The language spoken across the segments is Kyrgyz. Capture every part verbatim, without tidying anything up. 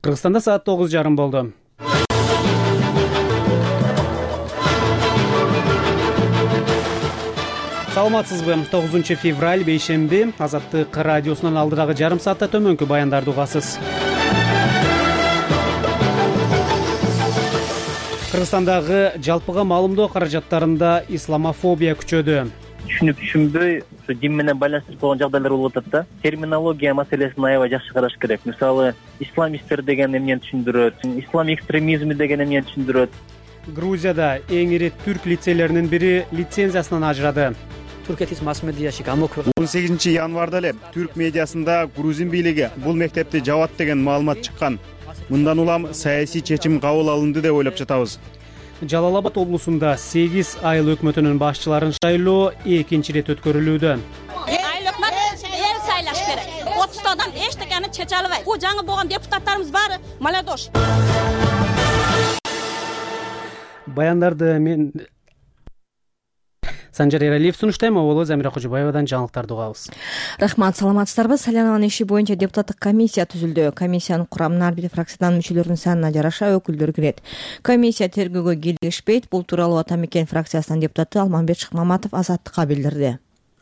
Кыргызстанда саат тогуз жарым болду. Саламатсызбы? тогузунчу февраль бейшемби. Азаттык радиосунун алдыдагы жарым саатта төмөнкү баяндарды угасыз. Кыргызстандагы жалпыга маалымдоо каражаттарында исламофобия күчөдү. Түшүнүп түшүнбөй, ушу дин менен байланыштырып койгон жагдайлар болуп атат да. Терминология маселесин аябай жакшы караш керек. Мисалы, исламисттер деген эмнени түшүндүрөт, ислам экстремизми деген эмнени түшүндүрөт. Грузияда эң ири түрк лицейлеринин бири лицензиясынан ажырады. он сегизинчи январда эле түрк медиасында грузин бийлиги бул мектепти жабат деген маалымат чыккан. Мындан улам саясий чечим кабыл алынды деп ойлоп жатабыз. Жалал Абад облусунда сегиз айыл өкмөтүнүн башчыларын шайлоо экинчи ирет өткөрүлүүдө. Айыл өкмөт эл сайлаш керек. отуздадан эчтекени чече албайт. Бул жаңы болгон депутаттарыбыз баары молодежь. Баяндарды мен Санжар Эралиев сунуштайм, Оболоз Замира Кожобаевадан жаңылыктарды угабыз. Рахмат, саламатсыздарбы? Салянованын иши боюнча депутаттык комиссия түзүлдү. Комиссиянын курамына ар бир фракциянын мүчөлөрүнүн санына жараша өкүлдөр кирет. Комиссия тергөөгө кийлигишпейт. Бул тууралуу Ата Мекен фракциясынын депутаты Алмамбет Шыкмаматов Азаттыкка билдирди.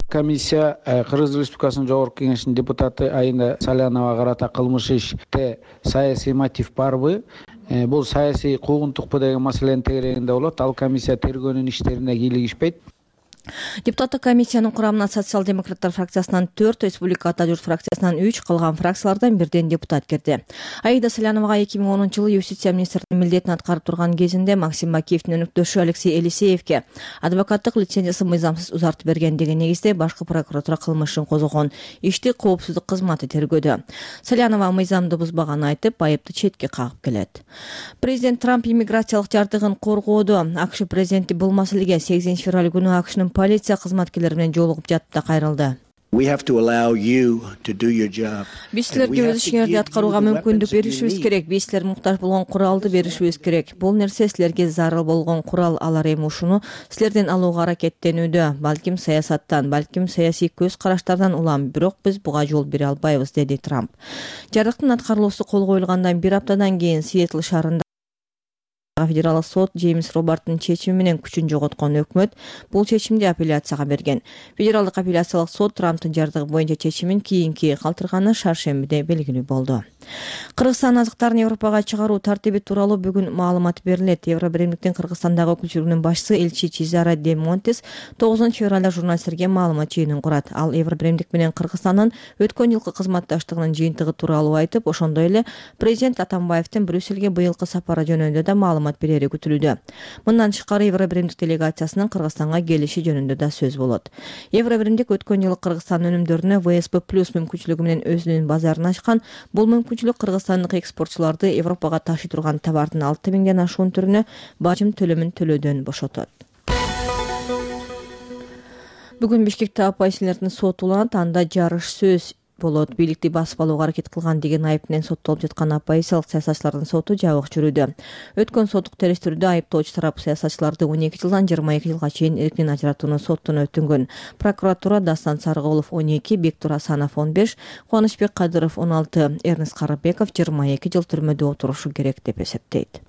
Комиссия Кыргыз Республикасынын Жогорку Кеңешинин депутаты Айна Салянова карата кылмыш иште саясий мотив барбы? Бул саясий куугунтукпу деген маселенин тегерегинде болот. Ал комиссия тергөөнүн иштерине кийлигишпейт. Депутаттык комиссиянын курамына социал-демократтар фракциясынан төрт, Республика Ата Журт фракциясынан үч, калган фракциялардан бирден депутат кирди. Аида Саляновага эки миң онунчу жылы юстиция министринин милдетин аткарып турган кезинде Максим Бакиевдин өнөктөшү Алексей Елисеевке адвокаттык лицензиясы мыйзамсыз узартып берген деген негизде башкы прокуратура кылмыш ишин козгогон. Ишти коопсуздук кызматы тергөөдө. Салянова мыйзамды бузбаганын айтып, айыпты четке кагып келет. Президент Трамп иммиграциялык жардыгын коргоодо. АКШ президенти бул маселеге сегизинчи февраль күнү АКШнын полиция кызматкерлери менен жолугуп жатып да кайрылды. Биз силерге өз ишиңерди аткарууга мүмкүндүк беришибиз керек. Биз силер муктаж болгон куралды беришибиз керек. Бул нерсе силерге зарыл болгон курал. Алар эми ушуну силерден алууга аракеттенүүдө. Балким саясаттан, балким саясий көз караштардан улам, бирок биз буга жол бере албайбыз, деди Трамп. Жардыктын аткарылуусу кол коюлгандан бир аптадан кийин Сиэтл шаарында федералдык сот Джеймс Робарттын чечими менен күчүн жоготкон. Өкмөт бул чечимди апелляцияга берген. Федералдык апелляциялык сот Трамптын жардыгы боюнча чечимин кийинки калтырганы шаршембиде белгилүү болду. Кыргызстан азыктарын Европага чыгаруу тартиби тууралуу бүгүн маалымат берилет. Евробиримдиктин Кыргызстандагы өкүлчүлүгүнүн башчысы элчи Чизара де Монтес тогузунчу февралда журналисттерге маалымат жыйынын курат. Ал Евробиримдик менен Кыргызстандын өткөн жылкы кызматташтыгынын жыйынтыгы тууралуу айтып, ошондой эле президент Атамбаевдин Брюссельге быйылкы сапары жөнүндө да маалымат берери күтүлүүдө. Мындан тышкары Евробиримдик делегациясынын Кыргызстанга келиши жөнүндө да сөз болот. Евробиримдик өткөн жылы Кыргызстан өнүмдөрүнө вэ эс пэ плюс мүмкүнчүлүгү менен өзүнүн базарын ачкан. Бул мүмкүнчүлүк кыргызстандык экспортчуларды Европага ташый турган товардын алты миңден ашуун түрүнө бажым төлөмүн төлөөдөн бошотот. Бүгүн Бишкекте оппозиционерлердин соту уланат. Анда жарыш сөз болот. Бийликти басып алууга аракет кылган деген айып менен соттолуп жаткан оппозициялык саясатчылардын соту жабык жүрүүдө. Өткөн соттук териштирүүдө айыптоочу тарап саясатчыларды он эки жылдан жыйырма эки жылга чейин эркинен ажыратууну соттон өтүнгөн. Прокуратура Дастан Сарыгулов он эки, Бектур Асанов он беш, Кубанычбек Кадыров он алты, Эрнест Карыбеков жыйырма эки жыл түрмөдө отурушу керек деп эсептейт.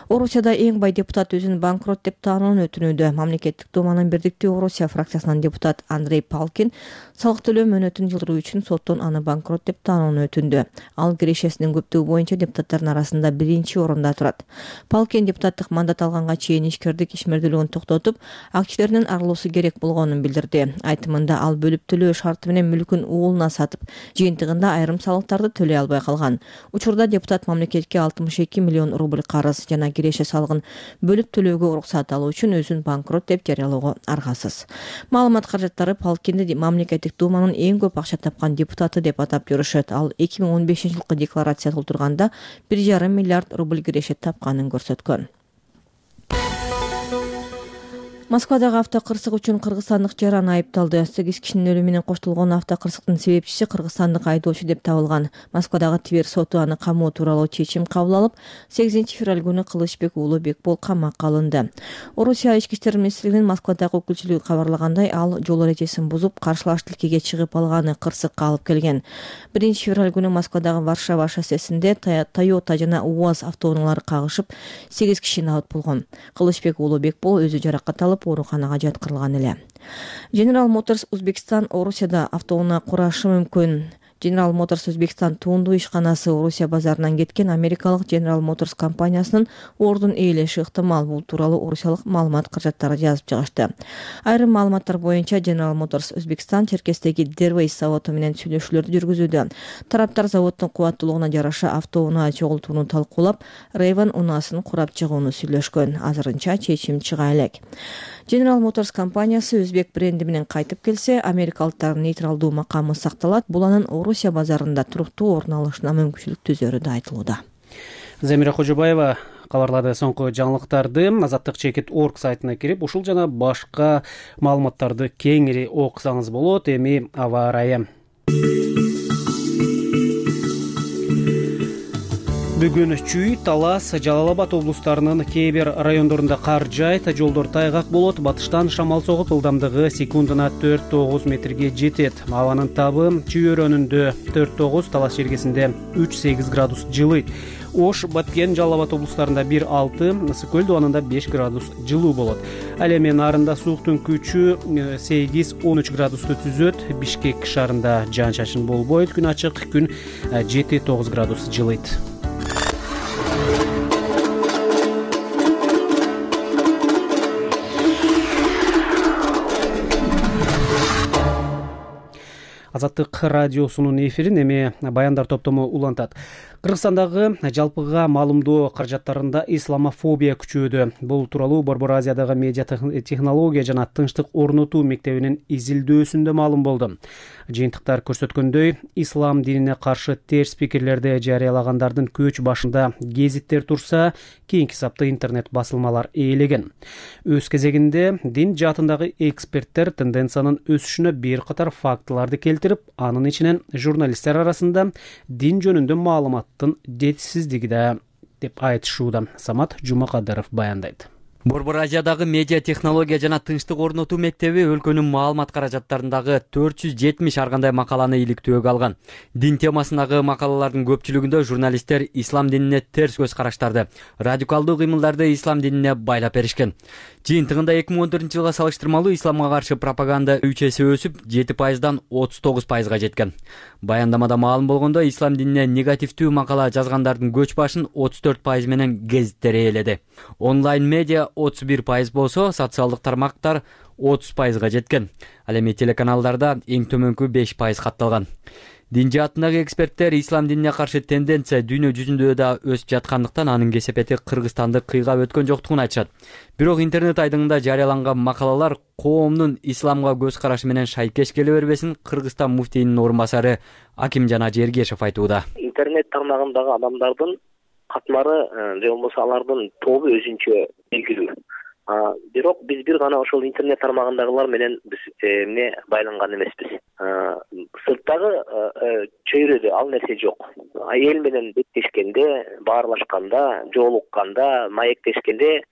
Орусияда эң бай депутат өзүн банкрот деп таануун өтүнүүдө. Мамлекеттик думанын Бирдиктүү Орусия фракциясынын депутат Андрей Палкин салык төлөө мөөнөтүн жылдыруу үчүн соттон аны банкрот деп таануун өтүндү. Ал кирешесинин көптүгү боюнча депутаттардын арасында биринчи орунда турат. Палкин депутаттык мандат алганга чейин ишкердик ишмердүүлүгүн токтотуп, активдеринин арылуусу керек болгонун билдирди. Айтымында ал бөлүп төлөө шарты менен мүлкүн уулуна сатып, жыйынтыгында айрым салыктарды төлөй албай калган. Учурда депутат мамлекетке алтымыш эки миллион рубль карыз жана киреше салыгын бөлүп төлөөгө уруксат алуу үчүн өзүн банкрот деп жарыялоого аргасыз. Маалымат каражаттары Палкинди мамлекеттик думанын эң көп акча тапкан депутаты деп атап жүрүшөт. Ал эки миң он бешинчи жылкы декларация толтурганда бир жарым миллиард рубль киреше тапканын көрсөткөн. Москвадагы автокырсык үчүн кыргызстандык жаран айыпталды. сегиз кишинин өлүмү менен коштолгон автокырсыктын себепчиси кыргызстандык айдоочу деп табылган. Москвадагы Тибер соту аны камоо тууралуу чечим кабыл алып, сегизинчи февраль күнү Кылычбек уулу Бекбол камакка алынды. Орусия ички иштер министрлигинин Москвадагы өкүлчүлүгү кабарлагандай, ал жол эрежесин бузуп, каршылаш тилкеге чыгып алганы кырсыкка алып келген. биринчи февраль күнү Москвадагы Варшава шоссесинде Toyota жана УАЗ автоунаалары кагышып, сегиз киши набыт болгон. Кылычбек уулу Бекбол өзү жаракат алып, ооруканага жаткырылган эле. General Motors Узбекстан Орусияда автоунаа курашы мүмкүн. General Motors Узбекстан туунду ишканасы Орусия базарынан кеткен америкалык General Motors компаниясынын ордун ээлеши ыктымал. Бул тууралуу орусиялык маалымат каражаттары жазып чыгышты. Айрым маалыматтар боюнча General Motors Узбекстан Черкестеги Derways заводу менен сүйлөшүүлөрдү жүргүзүүдө. Тараптар заводдун кубаттуулугуна жараша автоунаа чогултууну талкуулап, Raven унаасын курап чыгууну сүйлөшкөн. Азырынча чечим чыга элек. General Motors компаниясы өзбек бренди менен кайтып келсе, америкалыктардын нейтралдуу макамы сакталат. Бул анын Орусия базарында туруктуу орун алышына мүмкүнчүлүк түзөрү да айтылууда. Замира Кожобаева кабарлады. Соңку жаңылыктарды азаттык чекит точка орг сайтына кирип, ушул жана башка маалыматтарды кеңири окусаңыз болот. Эми аба ырайы. Бүгүн Чүй, Талас, Жалал Абад облустарынын кээ бир райондорунда кар жайт, жолдор тайгак болот. Батыштан шамал согуп, ылдамдыгы секундуна төрт тогуз метрге жетет. Абанын табы Чүй өрөөнүндө төрт тогуз, Талас жергесинде үч сегиз градус жылыйт. Ош, Баткен, Жалал Абад облустарында бир алты, Ысык көл дубанында беш градус жылуу болот. Ал эми нарында сууктун күчү сегиз он үч градусту түзөт. Бишкек шаарында жаан-чачын болбойт. Күн ачык, күн жети тогуз градус жылыйт. Азаттык радиосунун эфирин эми баяндар топтому улантат. Кыргызстандагы жалпыга маалымдоо каражаттарында исламофобия күчөөдө. Бул тууралуу Борбор Азиядагы медиа технология жана тынчтык орнотуу мектебинин изилдөөсүндө маалым болду. Жыйынтыктар көрсөткөндөй, ислам динине каршы терс пикирлерди жарыялагандардын көч башында гезиттер турса, кийинки сапта интернет басылмалар ээлеген. Өз кезегинде дин жаатындагы эксперттер тенденциянын өсүшүнө бир катар фактыларды келтирип, анын ичинен журналисттер арасында дин жөнүндө маалыматтын жетишсиздиги да деп айтышууда. Самат Жумакадыров баяндайт. Борбор Азиядагы медиа технология жана тынчтык орнотуу мектеби өлкөнүн маалымат каражаттарындагы төрт жүз жетимиш ар кандай макаланы иликтөөгө алган. Дин темасындагы макалалардын көпчүлүгүндө журналисттер ислам динине терс көз караштарды, радикалдуу кыймылдарды ислам динине байлап беришкен. Жыйынтыгында эки миң он төртүнчү жылга салыштырмалуу исламга каршы пропаганда үч эсе өсүп, жети пайыздан отуз тогуз пайызга жеткен. Баяндамада маалым болгондой, ислам динине негативдүү макала жазгандардын көч башын отуз төрт пайыз менен гезиттер ээледи. Онлайн медиа отуз бир пайыз болсо, социалдык тармактар отуз пайызга жеткен. Ал эми телеканалдарда эң төмөнкү беш пайыз катталган. Дин жаатындагы эксперттер ислам динине каршы тенденция дүйнө жүзүндө да өсүп жаткандыктан анын кесепети Кыргызстанды кыйгап өткөн жоктугун айтышат. Бирок интернет айдыңында жарыяланган макалалар коомдун исламга көз карашы менен шайкеш келе бербесин Кыргызстан муфтийинин орун басары Акимжан Ажергешев айтууда. Интернет тармагындагы адамдардын катмары же болбосо алардын тобу өзүнчө белгилүү. Бирок биз бир гана ошол интернет тармагындагылар менен биз эмне байланган эмеспиз. Сырттагы чөйрөдө ал нерсе жок. Эл менен беттешкенде, баарлашканда, жолукканда, маектешкенде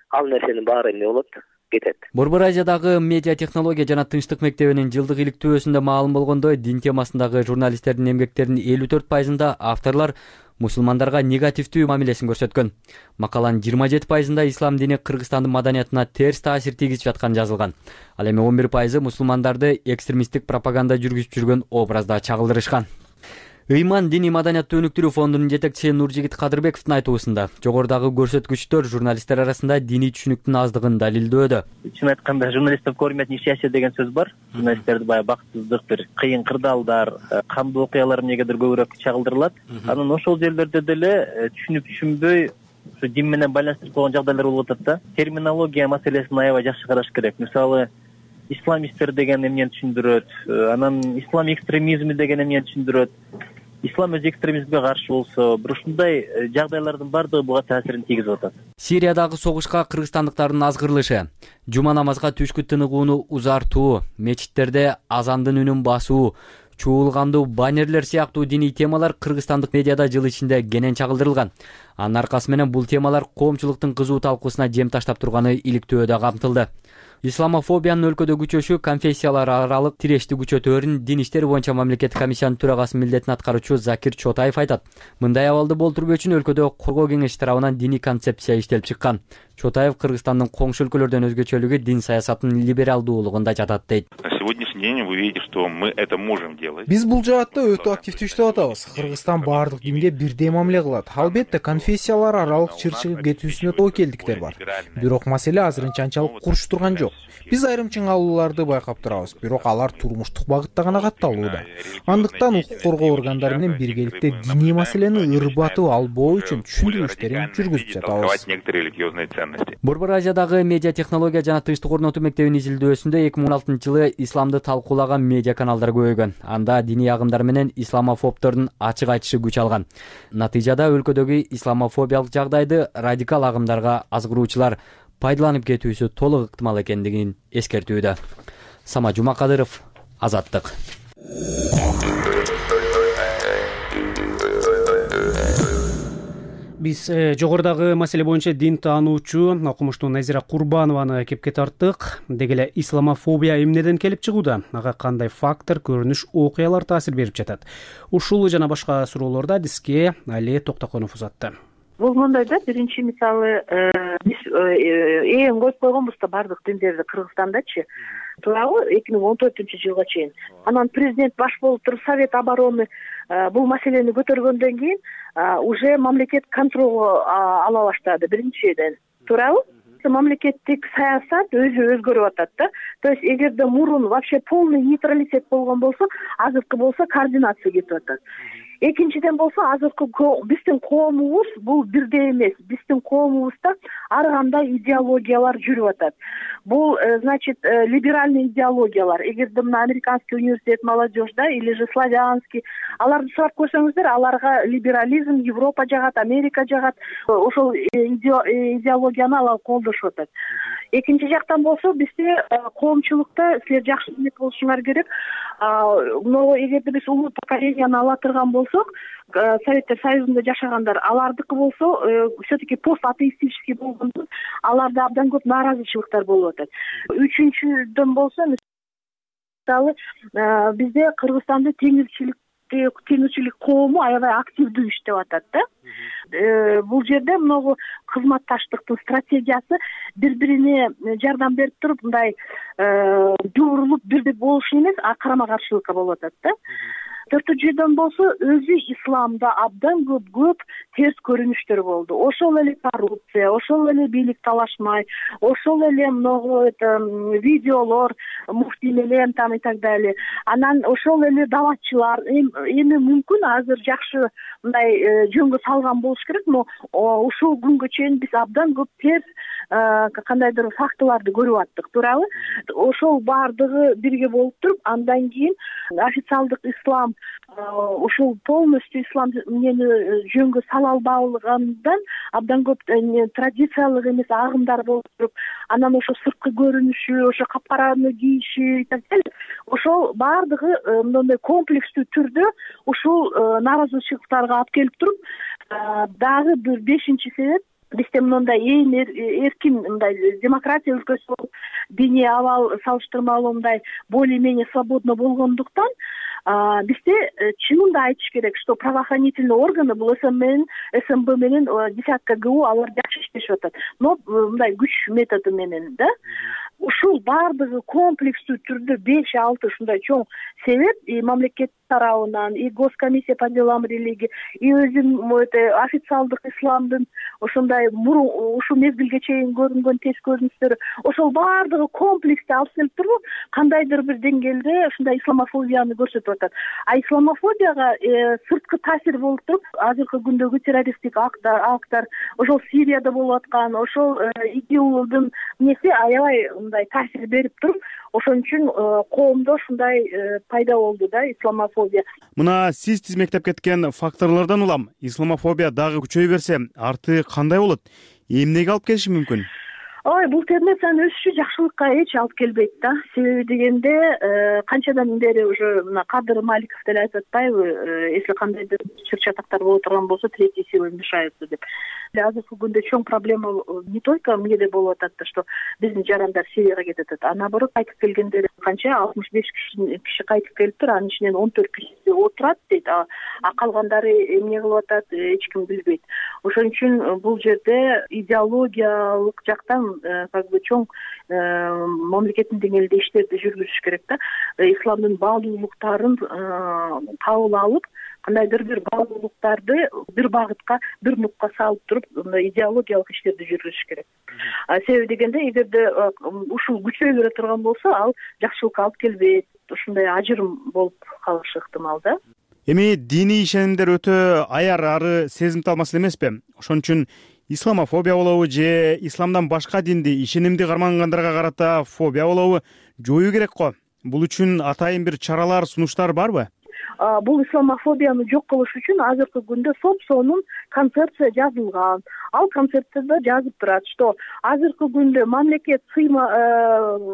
ал нерсенин баары эмне болот? Кетет. Борбор Азиядагы медиа технология жана тынчтык мектебинин жылдык иликтөөсүндө маалым болгондой, дин темасындагы журналисттердин эмгектеринин элүү төрт пайызында авторлор мусулмандарга негативдүү мамилесин көрсөткөн. Макаланын жыйырма жети пайызында ислам дини Кыргызстандын маданиятына терс таасир тийгизип жатканы жазылган. Ал эми он бир пайызы мусулмандарды экстремисттик пропаганда жүргүзүп жүргөн образда чагылдырышкан. Ыйман диний маданияттуу өнүктүрүү фондунун жетекчиси Нуржигит Кадырбековдун айтуусунда, жогорудагы көрсөткүчтөр журналисттер арасында диний түшүнүктүн аздыгын далилдөөдө. Чын айтканда, журналисттер көрмөт несчастье деген сөз бар. Журналисттерди баягы бактысыздык, бир кыйын кырдаалдар, кандуу окуялар эмнегедир көбүрөөк чагылдырылат. Анан ошол жерлерде деле түшүнүп түшүнбөй, ушу дин менен байланыштырып койгон жагдайлар болуп атат да. Терминология маселесин аябай жакшы караш керек. Мисалы, исламисттер деген эмнени түшүндүрөт, анан ислам экстремизми деген эмнени түшүндүрөт. ислам өз экстремизмге каршы болсо, бир ушундай жагдайлардын баардыгы буга таасирин тийгизип атат. Сириядагы согушка кыргызстандыктардын азгырылышы, жума намазга түшкү тыныгууну узартуу, мечиттерде азандын үнүн басуу, чуулгандуу баннерлер сыяктуу диний темалар кыргызстандык медиада жыл ичинде кенен чагылдырылган. Анын аркасы менен бул темалар коомчулуктун кызуу талкуусуна жем таштап турганы иликтөөдө камтылды. Исламофобиянын өлкөдө күчөшү конфессиялар аралык тирешти күчөтөөрүн Дин иштери боюнча мамлекеттик комиссиянын төрагасы милдетин аткаруучу Закир Чотаев айтат. Мындай абалды болтурбоо үчүн өлкөдө коргоо кеңеши тарабынан диний концепция иштелип чыккан. Чотаев Кыргызстандын коңшу өлкөлөрдөн өзгөчөлүгү дин саясатынын либералдуулугунда жатат дейт. На сегодняшний день вы видите, что мы это можем делать. Биз бул жаатта өтө активдүү иштеп атабыз. Кыргызстан баардык динге бирдей мамиле кылат. Албетте конфессиялар аралык чыр чыгып кетүүсүнө тобокелдиктер бар. Бирок маселе азырынча анчалык курч турган жок. Биз айрым чыңалууларды байкап турабыз, бирок алар турмуштук багытта гана катталууда. Андыктан укук коргоо органдары менен биргеликте диний маселени ырбатып албоо үчүн түшүндүрүү иштерин жүргүзүп жатабыз. Борбор Азиядагы медиа технология жана тынчтык орнотуу мектебинин изилдөөсүндө эки миң он алтынчы жылы исламды талкуулаган медиа каналдар көбөйгөн. Анда диний агымдар менен исламофобдордун ачык айтышы күч алган. Натыйжада өлкөдөгү исламофобиялык жагдайды радикал агымдарга азгыруучулар пайдаланып кетүүсү толук ыктымал экендигин эскертүүдө. Сама Жумакадыров, Азаттык. Биз жогорудагы маселе боюнча дин таануучу окумуштуу Назира Курбанованы кепке тарттык. Деги эле исламофобия эмнеден келип чыгууда? Ага кандай фактор, көрүнүш, окуялар таасир берип жатат? Ушул жана башка суроолорду адиске Али Токтоконов узатты. Бул мындай да, биринчи мисалы биз эң коюп койгонбуз да бардык диндерди Кыргызстандачы. Туурабы эки миң он төртүнчү жылга чейин. Анан президент баш болуп туруп Совет обороны бул маселени көтөргөндөн кийин уже мамлекет контролго ала баштады биринчиден. Туурабы? Мамлекеттик саясат өзү өзгөрүп атат да. То есть эгерде мурун вообще полный нейтралитет болгон болсо, азыркы болсо координация кетип атат. Экинчиден болсо азыркы биздин коомубуз бул бирдей эмес. Биздин коомубузда ар кандай идеологиялар жүрүп атат. Бул, значит, либеральный идеологиялар. Эгерде мына Американский университет молодежь, да, или же славянский, аларды сурап көрсөңүздөр, аларга либерализм Европа жагат, Америка жагат. Ошол идеологияны алар колдошуп атат. Экинчи жактан болсо, бизде коомчулукта силер жакшы билет болушуңар керек. Могу эгерде биз улуу поколенияны ала турган болсок, Советтер Союзунда жашагандар, алардыкы болсо, все-таки пост-атеистический болгондо, аларда абдан көп нааразычылыктар болуп атат. Үчүнчүдөн болсо, мисалы, бизде Кыргызстанда теңирчилик теңирчилик коому аябай активдүү иштеп атат да. Бул жерде многу кызматташтыктын стратегиясы бири-бирине жардам берип туруп, мындай жуурулуп бирдик болушу эмес, карама-каршылыкка болуп атат да. Төртүнчүдөн болсо, өзү исламда абдан көп көп терс көрүнүштөр болду. Ошол эле коррупция, ошол эле бийлик талашмай, ошол эле многу это видеолор, муфтий менен там и так далее. Анан ошол эле даватчылар, эми мүмкүн азыр жакшы мындай жөнгө салган болуш керек, но ушул күнгө чейин биз абдан көп терс кандайдыр фактыларды көрүп аттык, туурабы? Ошол баардыгы бирге болуп туруп, андан кийин официалдык ислам ушул полностью ислам эмнени жөнгө сала албагандан абдан көп традициялык эмес агымдар болуп туруп, анан ошо сырткы көрүнүшү, ошо капкараны кийиши и так далее, ошол баардыгы мындай комплекстүү түрдө ушул нааразычылыктарга алып келип туруп, дагы бир бешинчи себеп, бизде мындай эң эркин мындай демократия өлкөсү болуп, диний абал салыштырмалуу мындай более-менее свободно болгондуктан, бизде чынында айтыш керек, что правоохранительные органы бул СМ менен десятка ГУ алар жакшы иштешип атат. Но мындай күч методу менен да. Ушул баардыгы комплекстүү түрдө беш алты ушундай чоң себеп и мамлекет тарабынан, и госкомиссия по делам религии, и өзү официалдык исламдын ошондой ушул мезгилге чейин көрүнгөн терс көрүнүштөрү, ошол баардыгы комплексте алып келип туруп, кандайдыр бир деңгээлде ушундай исламофобияны көрсөтүп атат. А исламофобияга сырткы таасир болуп туруп, азыркы күндөгү террористтик акттар, ошол Сирияда болуп аткан, ошол ИГИЛдын неси аябай мындай таасир берип туруп, ошон үчүн коомдо ушундай пайда болду да исламофобия. Мына сиз тизмектеп кеткен факторлордон улам исламофобия дагы күчөй берсе арты кандай болот? Эмнеге алып келиши мүмкүн? Ой, бул тенденциянын өсүшү жакшылыкка эч алып келбейт да. Себеби дегенде канчадан бери уже мына Кадыр Маликов деле айтып атпайбы, если кандайдыр чыр-чатактар боло турган болсо, третьи силы вмешаются деп. Азыркы күндө чоң проблема не только эмнеде болуп атат да, что биздин жарандар Сирияга кетип атат, а наоборот кайтып келгендер канча алтымыш беш киши кайтып келиптир, анын ичинен он төрт кишиси отурат дейт, а калгандары эмне кылып атат эч ким билбейт. Ошон үчүн бул жерде идеологиялык жактан как бы чоң мамлекеттин деңгээлинде иштерди жүргүзүш керек да. Исламдын баалуулуктарын кабыл алып, кандайдыр бир баалуулуктарды бир багытка, бир нукка салып туруп, мындай идеологиялык иштерди жүргүзүш керек. Себеби дегенде, эгерде ушул күчөй бере турган болсо, ал жакшылыкка алып келбейт, ушундай ажырым болуп калышы ыктымал да. Эми диний ишенимдер өтө аяр ары сезимтал маселе эмеспи? Ошон үчүн исламофобия болобу же исламдан башка динди, ишенимди кармангандарга карата фобия болобу жоюу керек го. Бул үчүн атайын бир чаралар, сунуштар барбы? Бул исламофобияны жок кылыш үчүн азыркы күндө соп-сонун концепция жазылган. Ал концепцияда жазып турат, что азыркы күндө мамлекет сыйма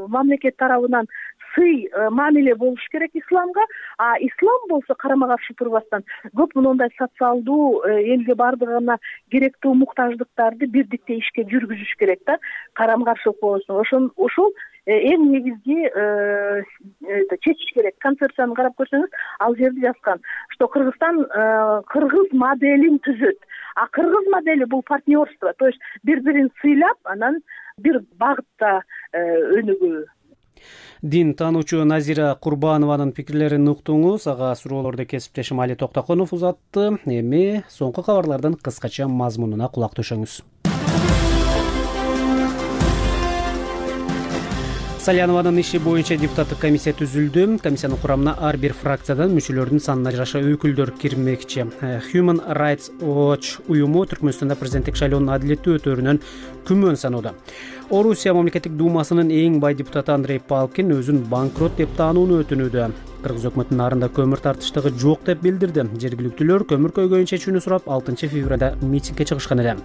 мамлекет тарабынан сый мамиле болуш керек исламга, а ислам болсо карама каршы турбастан көп моундай социалдуу элге бардыгына керектүү муктаждыктарды бирдикте ишке жүргүзүш керек да, карама каршылык болсун. Ошон ошол эң негизги чечиш керек. Концепцияны карап көрсөңүз, ал жерде жазган, что Кыргызстан кыргыз моделин түзөт. А кыргыз модели бул партнерство, то есть бири-бирин сыйлап, анан бир багытта өнүгүү. Дин таануучу Назира Курбанованын пикирлерин уктуңуз. Ага суроолорду кесиптешим Али Токтоконов узатты. Эми соңку кабарлардын кыскача мазмунуна кулак төшөңүз. Салянованын иши боюнча депутаттык комиссия түзүлдү. Комиссиянын курамына ар бир фракциядан мүчөлөрдүн санына жараша өкүлдөр кирмекчи. Human Rights Watch уюму Түркмөнстанда президенттик шайлоонун адилеттүү өтөөрүнөн күмөн саноодо. Орусия мамлекеттик думасынын эң бай депутаты Андрей Палкин өзүн банкрот деп таанууну өтүнүүдө. Кыргыз өкмөтүнүн нарында көмүр тартыштыгы жок деп билдирди. Жергиликтүүлөр көмүр көйгөйүн чечүүнү сурап алтынчы февралда митингге чыгышкан эле.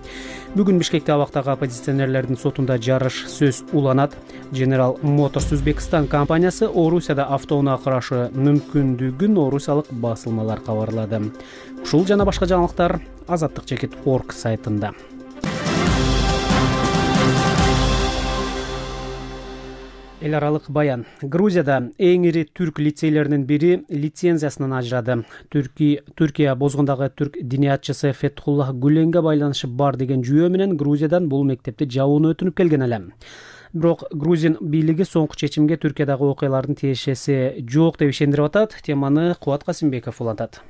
Бүгүн Бишкекте абактагы оппозиционерлердин сотунда жарыш сөз уланат. General Motors Uzbekistan компаниясы Орусияда автоунаа кырашы мүмкүндүгүн орусиялык басылмалар кабарлады. Ушул жана башка жаңылыктар азаттык чекит точка орг сайтында. Эл аралык баян. Грузияда эң ири түрк лицейлеринин бири лицензиясынан ажырады. Түркия бозгондагы түрк диниятчысы Фетхуллах Гүленге байланышы бар деген жүйө менен Грузиядан бул мектепти жабууну өтүнүп келген эле. Бирок грузин бийлиги соңку чечимге Түркиядагы окуялардын тиешеси жок деп ишендирип атат. Теманы Кубат Касымбеков улантат.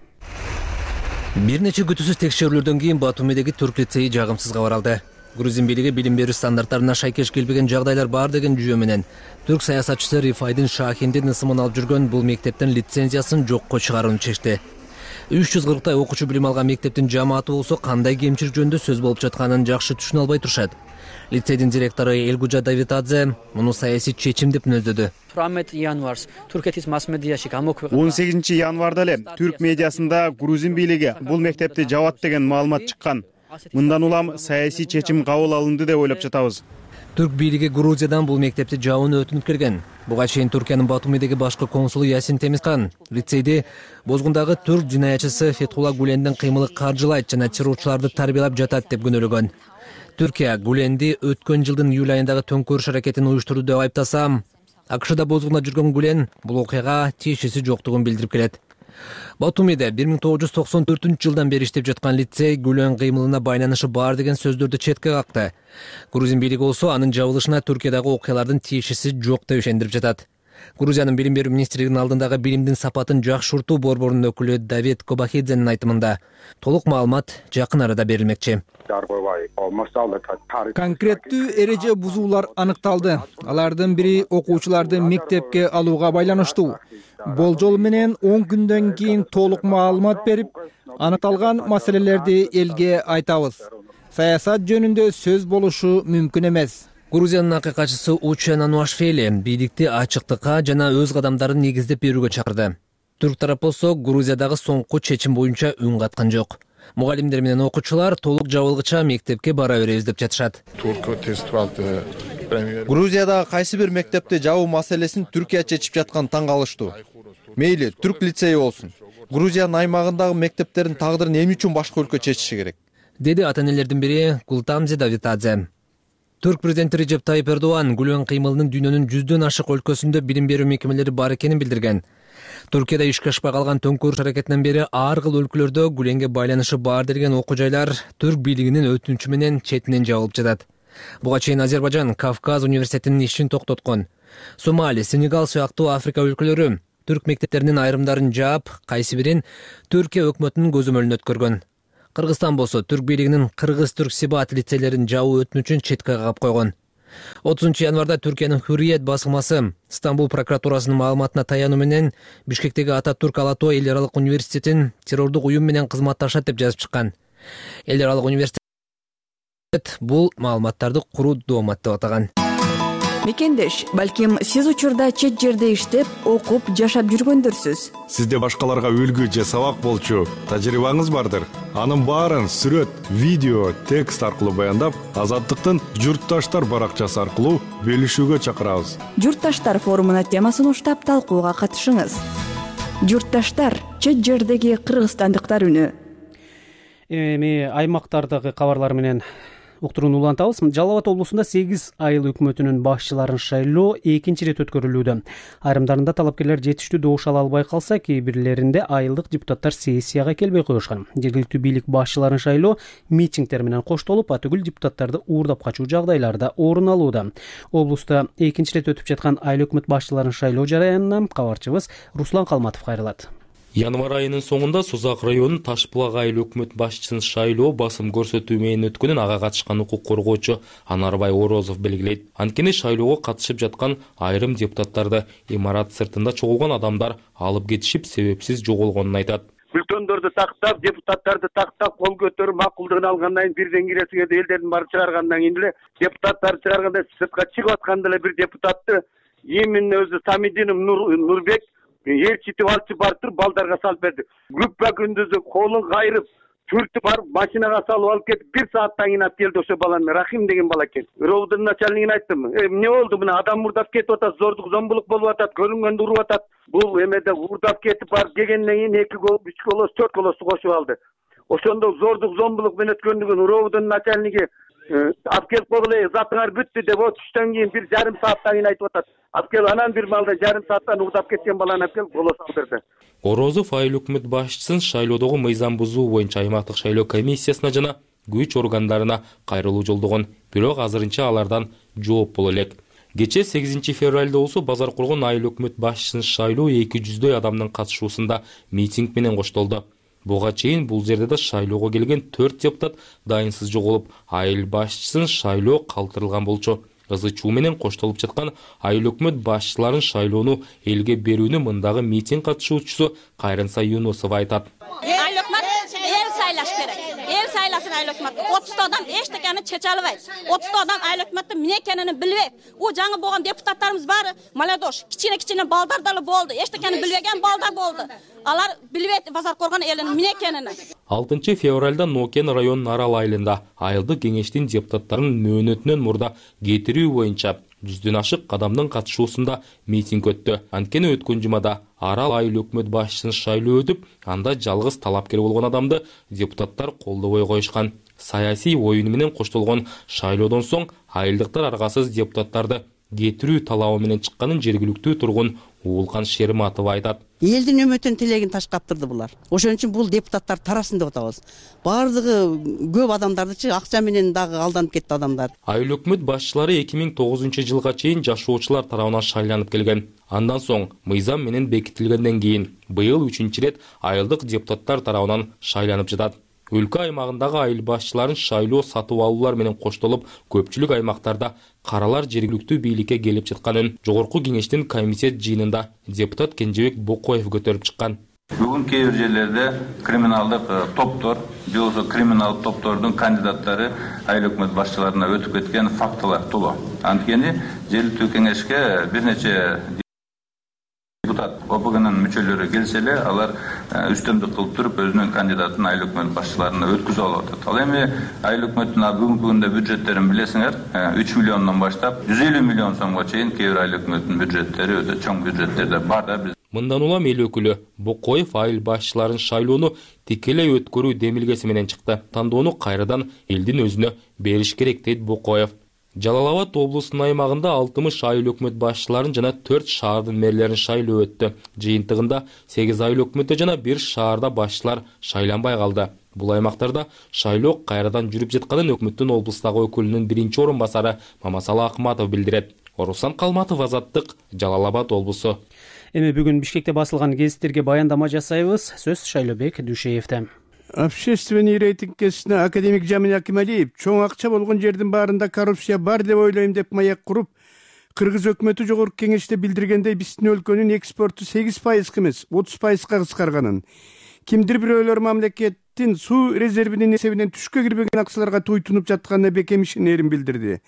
Бир нече күтүүсүз текшерүүлөрдөн кийин Батумидеги түрк лицейи жагымсыз кабаралды. Грузин бийлиги билим берүү стандарттарына шайкеш келбеген жагдайлар бар деген жүйө менен түрк саясатчысы Рифайдин Шахиндин ысымын алып жүргөн бул мектептин лицензиясын жокко чыгарууну чечти. үч жүз кырктай окуучу билим алган мектептин жамааты болсо кандай кемчилик жөнүндө сөз болуп жатканын жакшы түшүнө албай турушат. Лицейдин директору Элгужа Давитадзе муну саясий чечим деп мүнөздөдү. он сегизинчи январда эле түрк медиасында грузин бийлиги бул мектепти жабат деген маалымат чыккан. Мындан улам саясий чечим кабыл алынды деп ойлоп жатабыз. Түрк бийлиги Грузиядан бул мектепти жабууну өтүнүп келген. Буга чейин Түркиянын Батумидеги башкы консулу Ясин Темизкан лицейди бозгундагы түрк динаятчысы Фетхулла Гулендин кыймылы каржылайт жана чыруучуларды тарбиялап жатат деп күнөөлөгөн. Түркия Гуленди өткөн жылдын июль айындагы төңкөрүш аракетин уюштурду деп айыптаса, АКШда бозгунда жүргөн Гулен бул окуяга тиешеси жоктугун билдирип келет. Батумиде бир миң тогуз жүз токсон төртүнчү жылдан бери иштеп жаткан лицей Гүлен кыймылына байланышы бар деген сөздөрдү четке какты. Грузин бийлиги болсо анын жабылышына Түркиядагы окуялардын тиешеси жок деп ишендирип жатат. Грузиянын билим берүү министрлигинин алдындагы билимдин сапатын жакшыртуу борборунун өкүлү Давид Кобахидзенин айтымында толук маалымат жакын арада берилмекчи. Конкреттүү эреже бузуулар аныкталды. Алардын бири окуучуларды мектепке алууга байланыштуу. Болжол менен он күндөн кийин толук маалымат берип, аныкталган маселелерди элге айтабыз. Саясат жөнүндө сөз болушу мүмкүн эмес. Грузиянын акыйкатчысы Учен Ануашвили бийликти ачыктыкка жана өз кадамдарын негиздеп берүүгө чакырды. Түрк тарап болсо Грузиядагы соңку чечим боюнча үн каткан жок. Мугалимдер менен окуучулар толук жабылгыча мектепке бара беребиз деп жатышат. Грузиядагы кайсы бир мектепти жабуу маселесин Түркия чечип жаткан таң калыштуу. Мейли түрк лицейи болсун. Грузиянын аймагындагы мектептердин тагдырын эмне үчүн башка өлкө чечиши керек? Деди ата-энелердин бири Гултамзе Давитадзе. Түрк президенти Режеп Тайып Эрдоган Гүлөн кыймылынын дүйнөнүн жүздөн ашык өлкөсүндө билим берүү мекемелери бар экенин билдирген. Туркияда ишке ашпай калган төңкөрүш аракетинен бери ар кыл өлкөлөрдө Гүленге байланышы бар деген окуу жайлар түрк бийлигинин өтүнүчү менен четинен жабылып жатат. Буга чейин Азербайжан Кавказ университетинин ишин токтоткон. Сомали, Сенегал сыяктуу Африка өлкөлөрү түрк мектептеринин айрымдарын жаап, кайсы бирин Түркия өкмөтүнүн көзөмөлүнө өткөргөн. Кыргызстан болсо түрк бийлигинин кыргыз-түрк сибат лицейлерин жабуу өтүнүчүн четке кагып койгон. отузунчу январда Түркиянын Hürriyet басылмасы Стамбул прокуратурасынын маалыматына таянуу менен Бишкектеги Ататүрк Алатой эл аралык университетин террордук уюм менен кызматташат деп жазып чыккан. Эл аралык университет бул маалыматтарды куруу доомат деп атаган. Мекендеш, балким сиз учурда чет жерде иштеп, окуп, жашап жүргөндөрсүз. Сизде башкаларга үлгү же сабак болчу тажрыйбаңыз бардыр. Анын баарын сүрөт, видео, текст аркылуу баяндап, Азаттыктын Журтташтар баракчасы аркылуу бөлүшүүгө чакырабыз. Журтташтар форумуна темасын уштап талкууга катышыңыз. Журтташтар — чет жердеги кыргызстандыктар үнү. Эми аймактардагы кабарлар менен уктурууну улантабыз. Жалал Абад облусунда сегиз айыл өкмөтүнүн башчыларын шайлоо экинчи ирет өткөрүлүүдө. Айрымдарында талапкерлер жетиштүү добуш ала албай калса, кээ бирлеринде айылдык депутаттар сессияга келбей коюшкан. Жергиликтүү бийлик башчыларын шайлоо митингдер менен коштолуп, атүгүл депутаттарды уурдап качуу жагдайларда орун алууда. Облуста экинчи ирет өтүп жаткан айыл өкмөт башчыларын шайлоо жараянынан кабарчыбыз Руслан Калматов кайрылат. Январь айынын соңунда Созак районунун Ташбулак айыл өкмөт башчысын шайлоо басым көрсөтүү менен өткөнүн ага катышкан укук коргоочу Анарбай Орозов белгилейт. Анткени шайлоого катышып жаткан айрым депутаттарды имарат сыртында чогулган адамдар алып кетишип, себепсиз жоголгонун айтат. Бүлтөндөрдү тактап, депутаттарды тактап, кол көтөрүп макулдугун алгандан кийин бирден киресиңерди элдердин баары чыгаргандан кийин эле депутаттарды чыгарганда сыртка чыгып атканда эле бир депутатты именно өзү Самидинов Нурбек ээрчитип алчы бартыр балдарга салып берди. Күппа күндүзү колун кайрып, түртүп барып машинага салып алып кетип, бир сааттан кийин алып келди ошо баланы. Рахим деген бала экен. Ровдун начальнигине айттым. Эмне болду мына адам мурдап кетип атат, зордук зомбулук болуп атат, көрүнгөндө уруп атат. Бул эмеде уурдап кетип барып келгенден кийин эки гол, үч голос, төрт голосту кошуп алды. Ошондо зордук зомбулук менен өткөндүгүн Ровдун начальниги алып келип койгула, затыңар бүттү деп түштөн кийин бир жарым сааттан кийин айтып атат. Алып келип анан бир малда жарым сааттан уурдап кеткен баланы алып келип голос алдырды. Орозов айыл өкмөт башчысын шайлоодогу мыйзам бузуу боюнча аймактык шайлоо комиссиясына жана күч органдарына кайрылуу жолдогон, бирок азырынча алардан жооп боло элек. Кечээ сегизинчи февралда болсо базар кургон айыл өкмөт башчысын шайлоо эки жүздөй адамдын катышуусунда митинг менен коштолду. Буга чейин бул жерде да шайлоого келген төрт депутат дайынсыз жоголуп, айыл башчысын шайлоо калтырылган болчу. Ызы чуу менен коштолуп жаткан айыл өкмөт башчыларын шайлоону элге берүүнү мындагы митинг катышуучусу Кайрынса Юнусова айтат. Айыл өкмөт эл сайлаш керек. Эл сайласын айыл өкмөт. отузда адам эчтекени чече албайт. отузда адам айыл өкмөттүн эмне экенин билбейт. У жаңы болгон депутаттарыбыз баары молодежь, кичине-кичине балдар дагы болду. Эчтекени билбеген балдар болду. Алар билбейт базар коргон элинин эмне экенин. алтынчы февралда Нокен районунун Арал айылында айылдык кеңештин депутаттарынын мөөнөтүнөн мурда кетирүү боюнча жүздөн ашык адамдын катышуусунда митинг өттү. Анткени өткөн жумада Арал айыл өкмөт башчысын шайлоо өтүп, анда жалгыз талапкер болгон адамды депутаттар колдобой коюшкан. Саясий оюну менен коштолгон шайлоодон соң айылдыктар аргасыз депутаттарды кетирүү талабы менен чыкканын жергиликтүү тургун Уулкан Шерматова айтат. Элдин үмүтүн тилегин таш каптырды булар. Ошон үчүн бул депутаттар тарасын деп атабыз. Бардыгы көп адамдардычы акча менен дагы алданып кетти адамдар. Айыл өкмөт башчылары эки миң тогузунчу жылга чейин жашоочулар тарабынан шайланып келген. Андан соң мыйзам менен бекитилгенден кийин быйыл үчүнчү ирет айылдык депутаттар тарабынан шайланып жатат. Өлкө аймагындагы айыл башчыларын шайлоо сатып алуулар менен коштолуп, көпчүлүк аймактарда каралар жергиликтүү бийликке келип жатканын жогорку кеңештин комитет жыйынында депутат Кенжебек Бокоев көтөрүп чыккан. Бүгүн кээ бир жерлерде криминалдык топтор же болбосо криминалдык топтордун кандидаттары айыл өкмөт башчыларына өтүп кеткен фактылар толо. Анткени жергиликтүү кеңешке бир нече депутат О П Гнын мүчөлөрү келсе эле алар үстөмдүк кылып туруп өзүнүн кандидатын айыл өкмөт башчыларына өткүзүп алып атат. Ал эми айыл өкмөттүн бүгүнкү күндө бюджеттерин билесиңер, үч миллиондон баштап жүз элүү миллион сомго чейин кээ бир айыл өкмөттүн бюджеттери өтө чоң бюджеттерде бар да. Мындан улам эл өкүлү Бокоев айыл башчыларын шайлоону тикелей өткөрүү демилгеси менен чыкты. Тандоону кайрадан элдин өзүнө бериш керек дейт Бокоев. Жалал Абад облусунун аймагында алтымыш айыл өкмөт башчыларын жана төрт шаардын мэрлерин шайлоо өттү. Жыйынтыгында сегиз айыл өкмөттө жана бир шаарда башчылар шайланбай калды. Бул аймактарда шайлоо кайрадан жүрүп жатканын өкмөттүн облустагы өкүлүнүн биринчи орун басары Мамасалы Акматов билдирет. Орусан Калматов, Азаттык, Жалал Абад облусу. Эми бүгүн Бишкекте басылган гезиттерге баяндама жасайбыз. Сөз Шайлообек Дүйшеевде. Общественный рейтинг кесине академик Жамин Акималиев чоң акча болгон жердин баарында коррупция бар деп ойлойм деп маяк куруп, Кыргыз өкмөтү жогорку кеңеште билдиргендей биздин өлкөнүн экспорту сегиз пайызга эмес, отуз пайызга кыскарганын, кимдир бирөөлөр мамлекеттин суу резервинин эсебинен түшкө кирбеген акчаларга туйтунуп жатканына бекем ишенерин билдирди.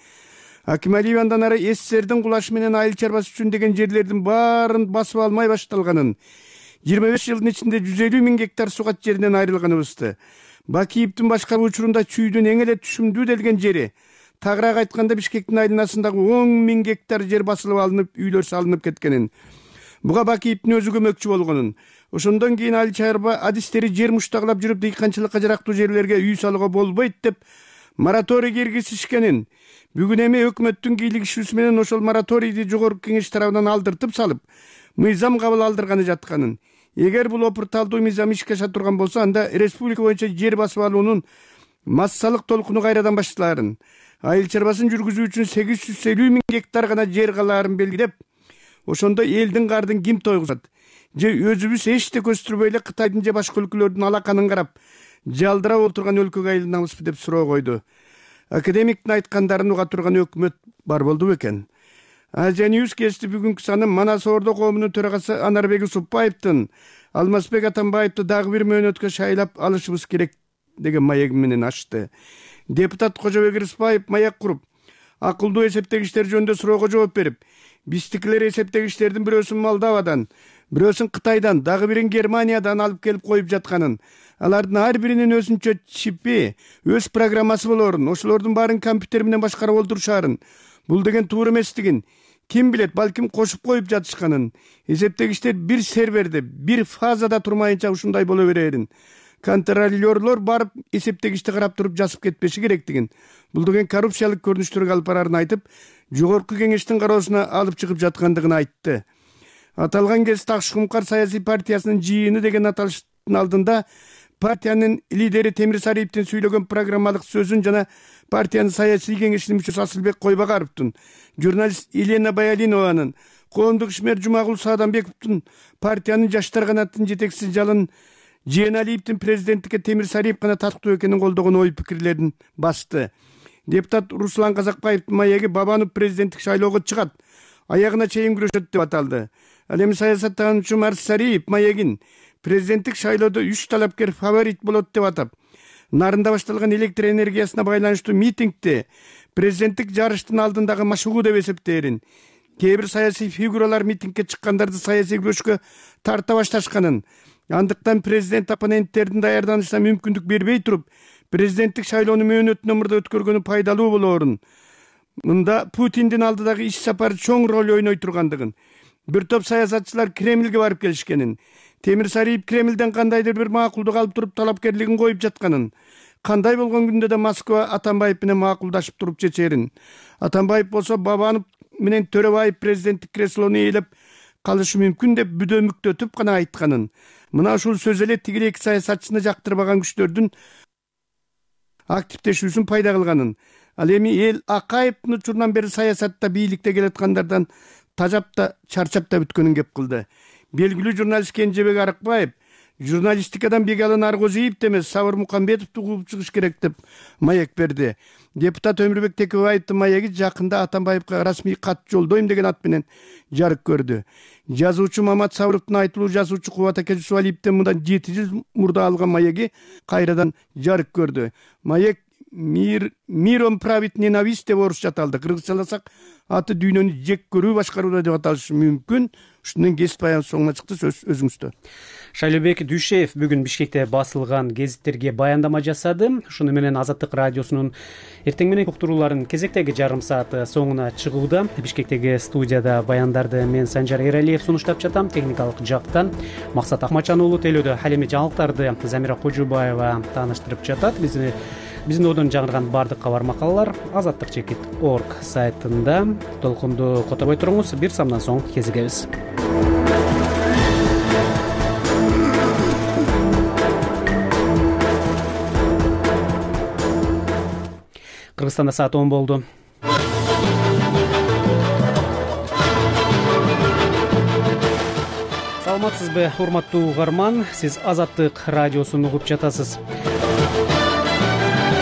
Акималиев андан ары СССРдин кулашы менен айыл чарбасы үчүн деген жерлердин баарын басып алмай башталганын, жыйырма беш жылдын ичинде жүз элүү миң гектар сугат жеринен айрылганыбызды, Бакиевдин башкаруу учурунда чүйдүн эң эле түшүмдүү делген жери, тагыраак айтканда Бишкектин айланасындагы он миң гектар жер басылып алынып, үйлөр салынып кеткенин, буга Бакиевдин өзү көмөкчү болгонун, ошондон кийин айыл чарба адистери жер муштаглап жүрүп дыйканчылыкка жарактуу жерлерге үй салууга болбойт деп мораторий киргизишкенин, бүгүн эми өкмөттүн кийлигишүүсү менен ошол мораторийди жогорку кеңеш тарабынан алдыртып салып, мыйзам кабыл алдырганы жатканын, эгер бул опурталдуу мыйзам ишке аша турган болсо, анда республика боюнча жер басып алуунун массалык толкуну кайрадан башталарын, айыл чарбасын жүргүзүү үчүн сегиз жүз элүү миң гектар гана жер калаарын белгилеп, ошондо элдин кардын ким тойгузат, же өзүбүз эчте көстүрбөй эле Кытайдын же башка өлкөлөрдүн алаканын карап, жалдырап отурган өлкөгө айланабызбы деп суроо койду. Академиктин айткандарын уга турган өкмөт бар болду бекен. Азия Ньюс гезити бүгүнкү саны Манас Ордо коомунун төрагасы Анарбек Усупбаевдин Алмазбек Атамбаевди дагы бир мөөнөткө шайлап алышыбыз керек деген маеги менен ачты. Депутат Кожобек Рыспаев маяк куруп, акылдуу эсептегичтер жөнүндө суроого жооп берип, биздикилер эсептегичтердин бирөөсүн Молдовадан, бирөөсүн Кытайдан, дагы бирин Германиядан алып келип коюп жатканын, алардын ар биринин өзүнчө чипи, өз программасы болорун, ошолордун баарын компьютер менен башкарып олтурушаарын, бул деген туура эместигин, ким билет, балким кошуп коюп жатышканын, эсептегичтер бир серверде, бир фазада турмайынча ушундай боло берерин, контролёрлор барып эсептегичти карап туруп жазып кетпеши керектигин, бул деген коррупциялык көрүнүштөргө алып барарын айтып, жогорку кеңештин кароосуна алып чыгып жаткандыгын айтты. Аталган гезит Акшумкар саясий партиясынын жыйыны деген аталыштын алдында партиянын лидери Темир Сариевдин сүйлөгөн программалык сөзүн жана партиянын саясий кеңешинин мүчөсү Асылбек Койбагаровдун, журналист Елена Баялинованын, коомдук ишмер Жумагул Саадамбековдун, партиянын жаштар канатынын жетекчиси Жалын Жээналиевдин президенттикке Темир Сариев гана татыктуу экенин колдогон ой пикирлерин басты. Депутат Руслан Казакбаевдин маеги Бабанов президенттик шайлоого чыгат, аягына чейин күрөшөт деп аталды. Ал эми саясаттануучу Марс Сариев маегин президенттик шайлоодо үч талапкер фаворит болот деп атап, нарында башталган электр энергиясына байланыштуу митингди президенттик жарыштын алдындагы машыгуу деп эсептээрин, кээ бир саясий фигуралар митингке чыккандарды саясий күрөшкө тарта башташканын, андыктан президент оппоненттердин даярданышына мүмкүндүк бербей туруп, президенттик шайлоону мөөнөтүнөн мурда өткөргөнү пайдалуу болоорун, мында Путиндин алдыдагы иш сапары чоң роль ойной тургандыгын, бир топ саясатчылар Кремлге барып келишкенин, Темир Сариев Кремлден кандайдыр бир макулдук алып туруп талапкерлигин коюп жатканын, кандай болгон күндө да Москва Атамбаев менен макулдашып туруп чечерин, Атамбаев болсо Бабанов менен Төрөбаев президенттик креслону ээлеп калышы мүмкүн деп бүдөмүктөтүп гана айтканын, мына ушул сөз эле тигил эки саясатчыны жактырбаган күчтөрдүн активдешүүсүн пайда кылганын, ал эми эл Акаевдин учурунан бери саясатта бийликте келаткандардан тажап да чарчап да бүткөнүн кеп кылды. Белгилүү журналист Кенжебек Арыкбаев журналистикадан Бегалы Наркозиевди эмес Сабыр Мукамбетовду кууп чыгыш керек деп маек берди. Депутат Өмүрбек Текебаевдин маеги жакында Атамбаевга расмий кат жолдойм деген ат менен жарык көрдү. Жазуучу Мамат Сабыровдун айтылуу жазуучу Кубат Аке Жусуалиевден мындан жети жыл мурда алган маеги кайрадан жарык көрдү. Маек Мир миром правит ненависть деп орусча аталды. Кыргызчаласак аты дүйнөнү жек көрүү башкарууда деп аталышы мүмкүн. Ушунун кесип баягы соңуна чыкты, сөз өзүңүздө. Шайлообек Дүйшеев бүгүн Бишкекте басылган гезиттерге баяндама жасады. Ушуну менен Азаттык радиосунун эртең менен уктурууларын кезектеги жарым сааты соңуна чыгууда. Бишкектеги студияда баяндарды мен Санжар Эралиев сунуштап жатам. Техникалык жактан Максат Акмачан уулу, телөөдө ал эми жаңылыктарды Замира Кожубаева тааныштырып жатат. Бизди Биздин одон жаңырган бардык кабар макалалар азаттык чекит орг сайтында. Толкунду которбой туруңуз, бир самдан соң кезигебиз. Кыргызстанда саат он болду. Саламатсызбы, урматтуу угарман? Сиз Азаттык радиосун угуп жатасыз.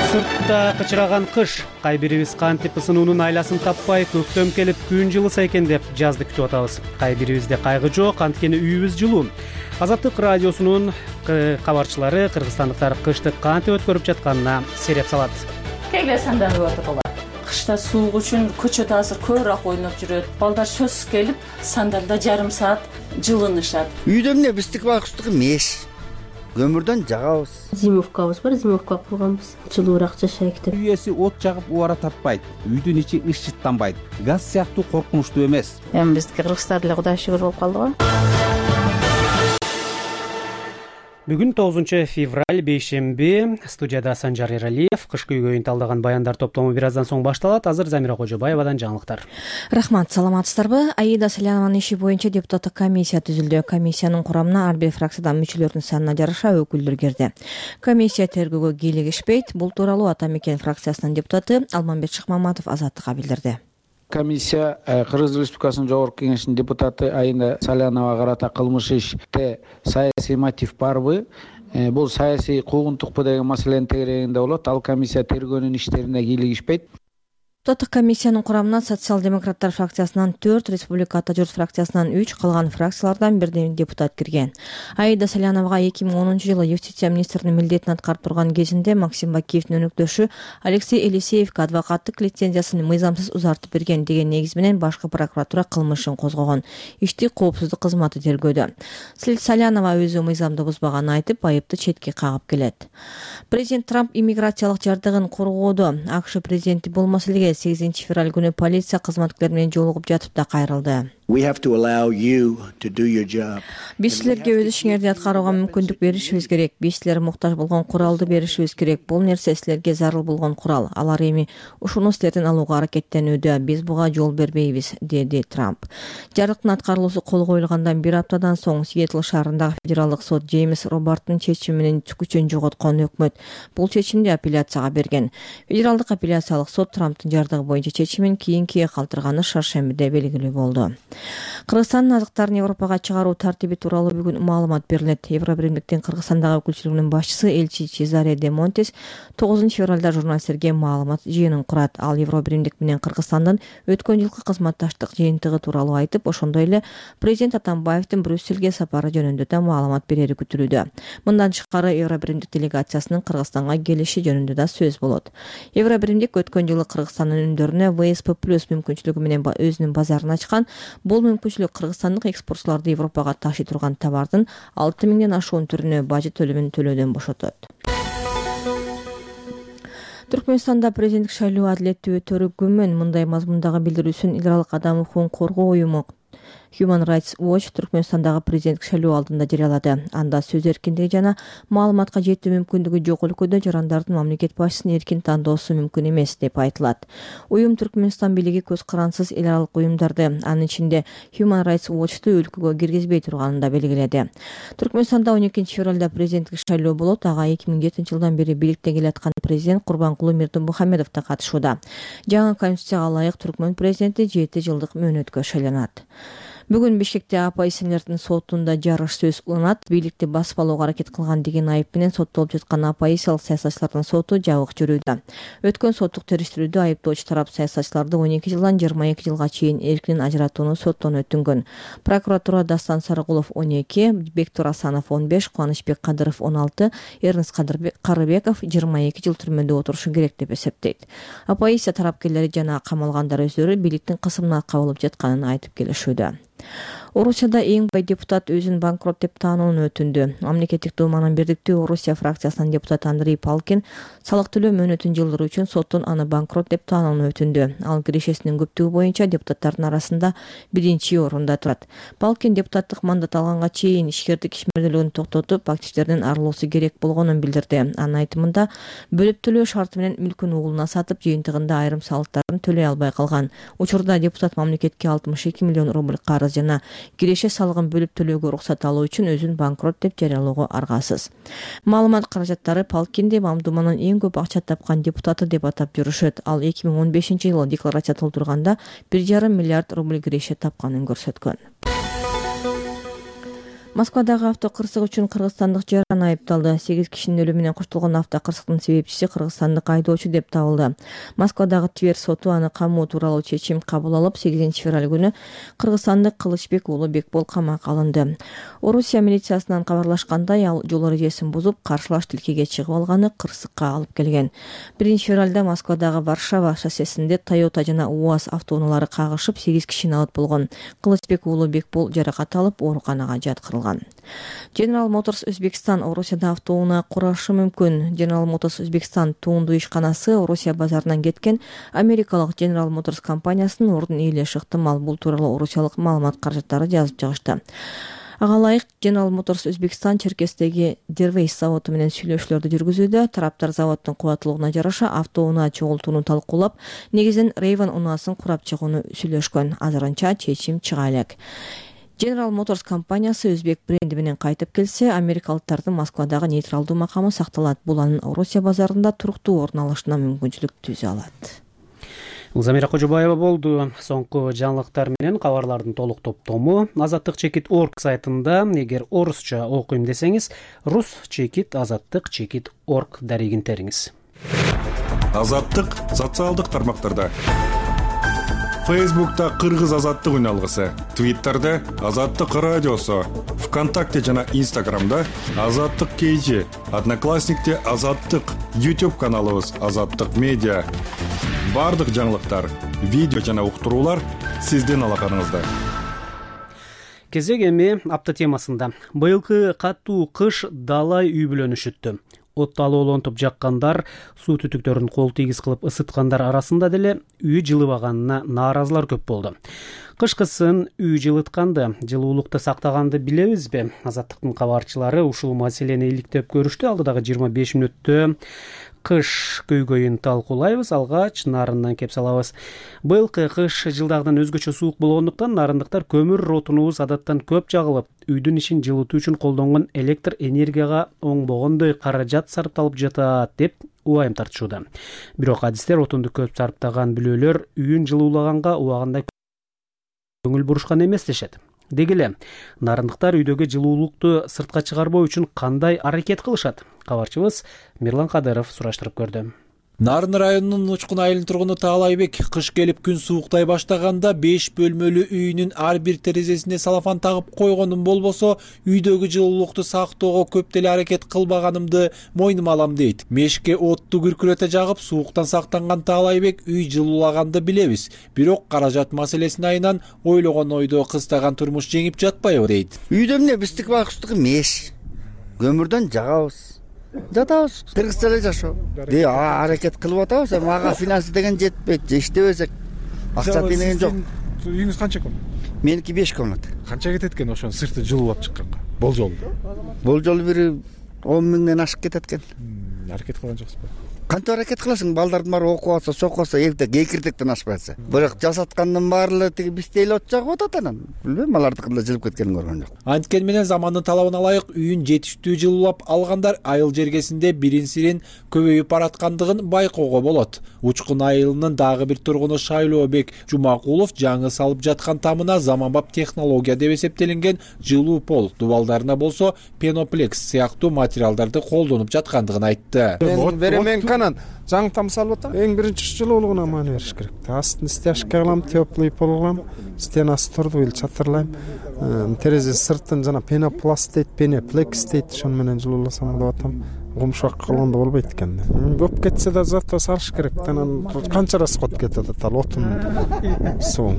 Сыртта кычыраган кыш, кай бирибиз кантип ысынуунун айласын таппай, көктөм келип күн жылыса экен деп жазды күтүп атабыз. Кай бирибизде кайгы жок, анткени үйүбүз жылуу. Азаттык радиосунун кабарчылары кыргызстандыктар кышты кантип өткөрүп жатканына сереп салат. Кейле санданып отурулар. Кышта суук үчүн көчөдө азыр көбүрөөк ойноп жүрөт. Балдар сөзсүз келип, сандалда жарым саат жылынышат. Үйдө эмне биздики бакыстыгы меш. Көмүрдөн жагабыз. Зимовкабыз бар, зимовка курганбыз. Жылуураак жашайык деп. Үй ээси от жагып убара тартпайт. Үйдүн ичи ышыттанбайт. Газ сыяктуу коркунучтуу эмес. Эми биздики кыргыздар деле Кудайга шүгүр болуп калды го. Бүгүн тогузунчу февраль бейшемби. Студияда Санжар Эралиев. Кышкы үйгө талдаган баяндар топтому бир аздан соң башталат. Азыр Замира Кожобаевадан жаңылыктар. Рахмат, саламатсыздарбы? Аида Салянованын иши боюнча депутаттык комиссия түзүлдү. Комиссиянын курамына ар бир фракциядан мүчөлөрдүн санына жараша өкүлдөр кирди. Комиссия тергөөгө кийлигишпейт. Бул тууралуу Ата Мекен фракциясынын депутаты Алмамбет Шыкмаматов Азаттыкка билдирди. Комиссия Кыргыз Республикасынын Жогорку Кеңешинин депутаты Аида Саляновага карата кылмыш иште саясий мотив барбы? Бул саясий куугунтукпу деген маселенин тегерегинде болот. Ал комиссия тергөөнүн иштерине кийлигишпейт. Депутаттык комиссиянын курамына социал-демократтар фракциясынан төрт, Республика Ата Журт фракциясынан үч, калган фракциялардан бирден депутат кирген. Аида Саляновага эки миң онунчу жылы юстиция министринин милдетин аткарып турган кезинде Максим Бакиевдин өнөктөшү Алексей Елисеевге адвокаттык лицензиясын мыйзамсыз узартып берген деген негиз менен башкы прокуратура кылмышын козгогон. Ишти коопсуздук кызматы тергөөдө. Салянова өзү мыйзамды бузбаганын айтып, айыпты четке кагып келет. Президент Трамп иммиграциялык жардыгын коргоодо АКШ президенти бул маселеге сегизинчи февраль күнү полиция кызматкерлери менен жолугуп жатып да кайрылды. Биз силерге өз ишиңерди аткарууга мүмкүндүк беришибиз керек. Биз силер муктаж болгон куралды беришибиз керек. Бул нерсе силерге зарыл болгон курал. Алар эми ушуну силерден алууга аракеттенүүдө. Биз буга жол бербейбиз, деди Трамп. Жарыктын аткарылуусу кол коюлгандан бир аптадан соң Сиэтл шаарындагы федералдык сот Джеймс Робарттын чечими менен күчүн жоготкон өкмөт бул чечимди апелляцияга берген. Федералдык апелляциялык сот Трамптын жардыгы боюнча чечимин кийинкиге калтырганы шаршембиде белгилүү болду. Кыргызстандын азыктарын Европага чыгаруу тартиби тууралуу бүгүн маалымат берилет. Евробиримдиктин Кыргызстандагы өкүлчүлүгүнүн башчысы элчи Чезаре де Монтес тогузунчу февралда журналисттерге маалымат жыйынын курат. Ал Евробиримдик менен Кыргызстандын өткөн жылкы кызматташтык жыйынтыгы тууралуу айтып, ошондой эле президент Атамбаевдин Брюссельге сапары жөнүндө да маалымат берери күтүлүүдө. Мындан тышкары Евробиримдик делегациясынын Кыргызстанга келиши жөнүндө да сөз болот. Евробиримдик өткөн жылы Кыргызстандын үндөрүнө вэ эс пэ плюс мүмкүнчүлүгү менен өзүнүн базарын ачкан. Бул мүмкүнчүлүк кыргызстандык экспортчуларды Европага ташый турган товардын алты миңден ашуун түрүнө бажы төлөмүн төлөөдөн бошотот. Түркмөнстанда президенттик шайлоо адилеттүү өтөрү күмөн. Мындай мазмундагы билдирүүсүн эл аралык адам укугун коргоо уюму Human Rights Watch Түркмөнстандагы президенттик шайлоо алдында жарыялады. Анда сөз эркиндиги жана маалыматка жетүү мүмкүндүгү жок өлкөдө жарандардын мамлекет башчысын эркин тандоосу мүмкүн эмес деп айтылат. Уюм Түркмөнстан бийлиги көз карансыз эл аралык уюмдарды, анын ичинде Human Rights Watch'ту өлкөгө киргизбей турганын да белгиледи. Түркмөнстанда он экинчи февралда президенттик шайлоо болот. Ага эки миң жетинчи жылдан бери бийликте келаткан президент Курбанкулуу Мирдимухамедов да катышууда. Жаңы конституцияга ылайык түркмөн президенти жети жылдык мөөнөткө шайланат. Бүгүн Бишкекте оппозиционердин сотунда жарыш сөз уланат. Бийликти басып алууга аракет кылган деген айып менен соттолуп жаткан оппозициялык саясатчылардын соту жабык жүрүүдө. Өткөн соттук териштирүүдө айыптоочу тарап саясатчыларды он эки жылдан жыйырма эки жылга чейин эркинен ажыратууну соттон өтүнгөн. Прокуратура Дастан Сарыгулов он эки, Бектур Асанов он беш, Кубанычбек Кадыров он алты, Эрнис Карыбеков жыйырма эки жыл түрмөдө отурушу керек деп эсептейт. Оппозиция тарапкерлери жана камалгандар өздөрү бийликтин кысымына кабылып жатканын айтып келишүүдө. Орусияда эң бай депутат өзүн банкрот деп таанууну өтүндү. Мамлекеттик думанын бирдиктүү Орусия фракциясынын депутаты Андрей Палкин салык төлөө мөөнөтүн жылдыруу үчүн соттун аны банкрот деп таанууну өтүндү. Ал кирешесинин көптүгү боюнча депутаттардын арасында биринчи орунда турат. Палкин депутаттык мандат алганга чейин ишкердик ишмерделүүнү токтотуп, активдердин арылуусу керек болгонун билдирди. Анын айтымында бөлүп төлөө шарты менен мүлкүн угулуна сатып, жыйынтыгында айрым салыктарын төлөй албай калган. Учурда депутат мамлекетке алтымыш эки миллион рубль карыз жана киреше салыгын бөлүп төлөөгө уруксат алуу үчүн өзүн банкрот деп жарыялоого аргасыз. Маалымат каражаттары Палкинди Мамдуманын эң көп акча тапкан депутаты деп атап жүрүшөт. Ал эки миң он бешинчи жылы декларация толтурганда бир жарым миллиард рубль киреше тапканын көрсөткөн. Москвадагы авто кырсык үчүн кыргызстандык жаран айыпталды. сегиз кишинин өлүмүнө менен коштолгон авто кырсыктын себепчиси кыргызстандык айдоочу деп табылды. Москвадагы Тверь соту аны камоо тууралуу чечим кабыл алып, сегизинчи февраль күнү кыргызстандык Кылычбек уулу Бекбол камакка алынды. Орусия милициясынан кабарлашкандай, ал жол эрежесин бузуп, каршылаш тилкеге чыгып алганы кырсыкка алып келген. биринчи февралда Москвадагы Варшава шоссесинде Toyota жана УАЗ автоунаалары кагышып, сегиз киши алат болгон. Кылычбек уулу Бекбол жаракат алып, ооруканага жаткырылган. General Motors Өзбекстан Орусияда автоунаа курашы мүмкүн. General Motors Өзбекстан туунду ишканасы Орусия базарынан кеткен америкалык General Motors компаниясынын ордун ээлеши ыктымал. Бул тууралуу орусиялык маалымат каражаттары жазып чыгышты. Ага ылайык General Motors Өзбекстан Черкестеги Дервейс заводу менен сүйлөшүүлөрдү жүргүзүүдө. Тараптар заводдун кубаттуулугуна жараша автоунаа чогултууну талкуулап, негизинен Raven унаасын курап чыгууну сүйлөшкөн. Азырынча чечим чыга элек. General Motors компаниясы өзбек бренди менен кайтып келсе, америкалыктардын Москвадагы нейтралдуу макамы сакталат. Бул анын Орусия базарында туруктуу орун алышына мүмкүнчүлүк түзө алат. Замира Кожобаева болду. Соңку жаңылыктар менен кабарлардын толук топтому азаттык чекит точка орг сайтында. Эгер орусча окуйм десеңиз, рус чекит азаттык чекит точка орг дарегин териңиз. Азаттык социалдык тармактарда. Фейсбукта Кыргыз азаттык үналгысы, Твиттерде Азаттык радиосу, ВКонтакте жана Инстаграмда Азаттык кейжи, Одноклассникте Азаттык, YouTube каналыбыз Азаттык медиа. Бардык жаңылыктар, видео жана уктуруулар сиздин алаканыңызда. Кезек эми апта темасында. Быйылкы катуу кыш далай үй бүлөнү шүттү. Отто алоолонтуп жаккандар, суу түтүктөрүн кол тийгиз кылып ысыткандар арасында деле үй жылыбаганына нааразылар көп болду. Кышкысын үй жылытканды, жылуулукту сактаганды билебизби? Азаттыктын кабарчылары ушул маселени иликтеп көрүштү. Алдыдагы жыйырма беш мүнөттө кыш көйгөйүн талкуулайбыз. Алгач нарындан кеп салабыз. Быйылкы кыш жылдагыдан өзгөчө суук болгондуктан нарындыктар көмүр отунубуз адаттан көп жагылып, үйдүн ишин жылытуу үчүн колдонгон электр энергияга оңбогондой каражат сарпталып жатат деп убайым тартышууда. Бирок адистер отунду көп сарптаган бүлөлөр үйүн жылуулаганга убагында көңүл бурушкан эмес дешет. Деги эле нарындыктар үйдөгү жылуулукту сыртка чыгарбоо үчүн кандай аракет кылышат? Кабарчыбыз Мирлан Кадыров сураштырып көрдү. Нарын районунун Учкун айылынын тургуну Таалайбек кыш келип күн сууктай баштаганда беш бөлмөлүү үйүнүн ар бир терезесине салафан тагып койгонум болбосо, үйдөгү жылуулукту сактоого көп деле аракет кылбаганымды мойнума алам дейт. Мешке отту күркүрөтө жагып, сууктан сактанган Таалайбек үй жылуулаганды билебиз. Бирок каражат маселесин айынан ойлогон ойдо кыстаган турмуш жеңип жатпайбы дейт. Үйдө эмне биздики байкуштугу меш. Көмүрдөн жагабыз. Жатабыз, кыргызча эле жашоо. Де аракет кылып атабыз, мага финансы деген жетпейт, иштебесек акча деген жок. Үйүңүз канча комнат? Меники беш комнат. Канча кетет экен ошонун сырты жылуулап чыкканга? Болжол. Болжол бир он миңден ашык кетет экен. аракет кылган жоксузбу? Кантип аракет кыласың? Балдардын баары окуп атса, сокуп атса, эбите кекиртектен ашпай атса. Бирок жасаткандын баары эле тиги бизде эле от жагып атат анан. Билбейм, алардыкында жылып кеткенин көргөн жок. Анткени менен замандын талабына ылайык үйүн жетиштүү жылуулап алгандар айыл жергесинде бирин-сирин көбөйүп бараткандыгын байкоого болот. Учкун айылынын дагы бир тургуну Шайлообек Жумакулов жаңы салып жаткан тамына заманбап технология деп эсептелинген жылуу пол, дубалдарына болсо пеноплекс сыяктуу материалдарды колдонуп жаткандыгын айтты. Мен беремен канан жаңы там салып атам. Эң биринчи жылуулугуна маани бериш керек. Астын стяжка кылам, теплый пол кылам, стенасы турду эл чатырлайм. Терезе сыртын жана пенопласт дейт, пеноплекс дейт, ошону менен жылууласам деп атам. Гумшак кылганда болбойт экен. Көп кетсе да зато салыш керек. Анан канча расход кетет ал отун суу.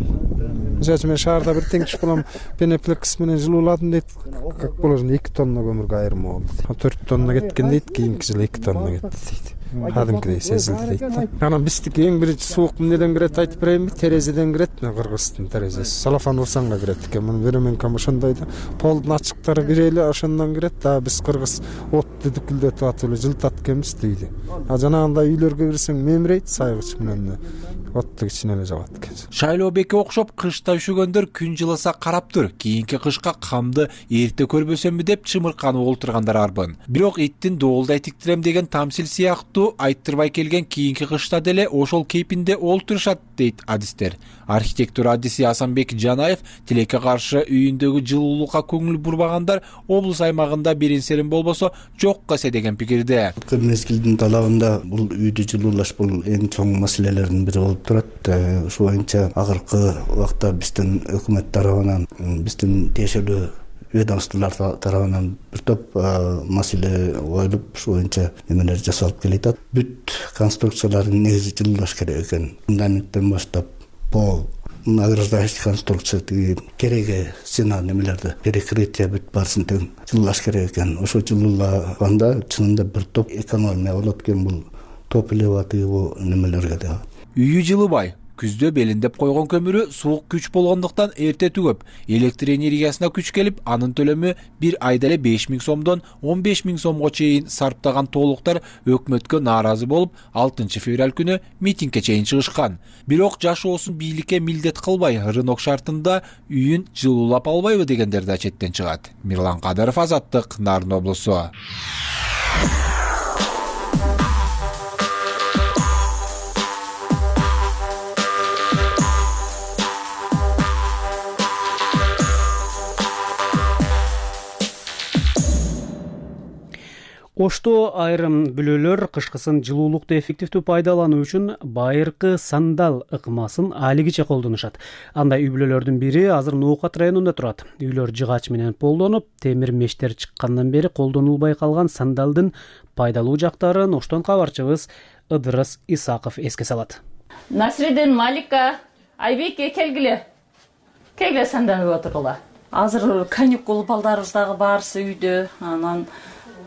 Жачы мен шаарда бир теңиш кылам, пеноплекс менен жылууладым дейт. Как положено эки тонна көмүргө айырма болду. төрт тонна кеткен дейт, кийинки жылы эки тонна кетти дейт. Кадимкидей сезилди дейт. Анан биздики эң биринчи суук эмнеден кирет айтып берейинби? Терезеден кирет, Кыргыздын терезеси. Салафан урсаңга кирет экен. Муну беременкам ошондой да. Полдун ачыктары бир эле ошондон кирет. Да биз кыргыз отту дүкүлдөтүп атып эле жылтат экенбиз дейди. А жанагындай үйлөргө кирсең мемирейт сайгыч менен. Отту кичине эле жагат экен. Шайлообекке окшоп кышта üşөгөндөр күн жылыса карап тур. Кийинки кышка камды эрте көрбөсөмбү деп чымырканып олтургандар арбын. Бирок иттин доолдай тиктирем деген тамсил сыяктуу айттырбай келген кийинки кышта деле ошол кейпинде олтурушат дейт адистер. Архитектор адиси Асанбек Жанаев тилекке каршы үйүндөгү жылуулукка көңүл бурбагандар облус аймагында бирин-сирин болбосо жокко эсе деген пикирде. Мезгилдин талабында бул үйдү жылуулаш бул эң чоң маселелердин бири болуп турат. Ушул боюнча акыркы убакта биздин өкмөт тарабынан, биздин тиешелүү ведомстволор тарабынан бир топ маселе коюлуп, ушул боюнча немелер жасалып келет. Бүт конструкциялардын негизи жылуулаш керек экен. Фундаменттен баштап пол, награждающий конструкция, кереги стена немелерди, перекрытие бүт баарысын тең жылуулаш керек экен. Ошо жылуулаганда чынында бир топ экономия болот экен бул топливо бул немелерге да. Үйү жылыбай, күздө белиндеп койгон көмүрү суук күч болгондуктан эрте түгөп, электр энергиясына күч келип, анын төлөмү бир айда эле беш миң сомдон он беш миң сомго чейин сарптаган тоолуктар өкмөткө нааразы болуп, алтынчы февраль күнү митингге чейин чыгышкан. Бирок жашоосун бийликке милдет кылбай, рынок шартында үйүн жылуулап албайбы дегендер да четтен чыгат. Мирлан Кадыров, Азаттык, Нарын облусу. Ошто айрым бүлөлөр кышкысын жылуулукту эффективдүү пайдалануу үчүн байыркы сандал ыкмасын алигиче колдонушат. Андай үй бүлөлөрдүн бири азыр Ноокат районунда турат. Үйлөр жыгач менен полдонуп, темир мештер чыккандан бери колдонулбай калган сандалдын пайдалуу жактарын Оштон кабарчыбыз Ыдырыс Исаков эске салат. Насредин, Малика, Айбеке келгиле. Келгиле сандалып отургула. Азыр каникул балдарыбыз дагы баарысы үйдө, анан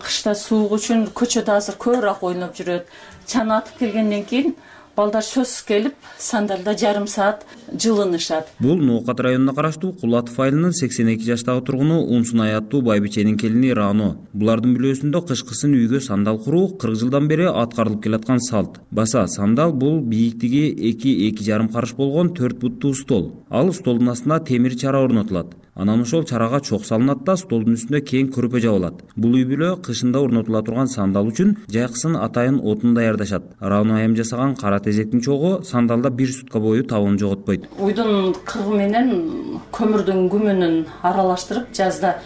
кышта суук үчүн көчөдө азыр көбүрөөк ойноп жүрөт. Чана атып келгенден кийин балдар сөзсүз келип, сандалда жарым саат жылынышат. Бул Ноокат районуна караштуу Кулатов айылынын сексен эки жаштагы тургуну Унсунай аттуу байбиченин келини Рано. Булардын бүлөсүндө кышкысын үйгө сандал куруу кырк жылдан бери аткарылып келаткан салт. Баса сандал бул бийиктиги эки эки жарым карыш болгон төрт буттуу стол. Ал столдун астына темир чара орнотулат. Анан ошол чарага чок салынат да столдун үстүнө кең көрпө жабылат. Бул үй бүлө кышында орнотула турган сандал үчүн жайкысын атайын отун даярдашат. Рано айым жасаган кара тезектин чогу сандалда бир сутка бою табын жоготпойт. Уйдун кыргы менен көмүрдүн күмүнүн аралаштырып жазда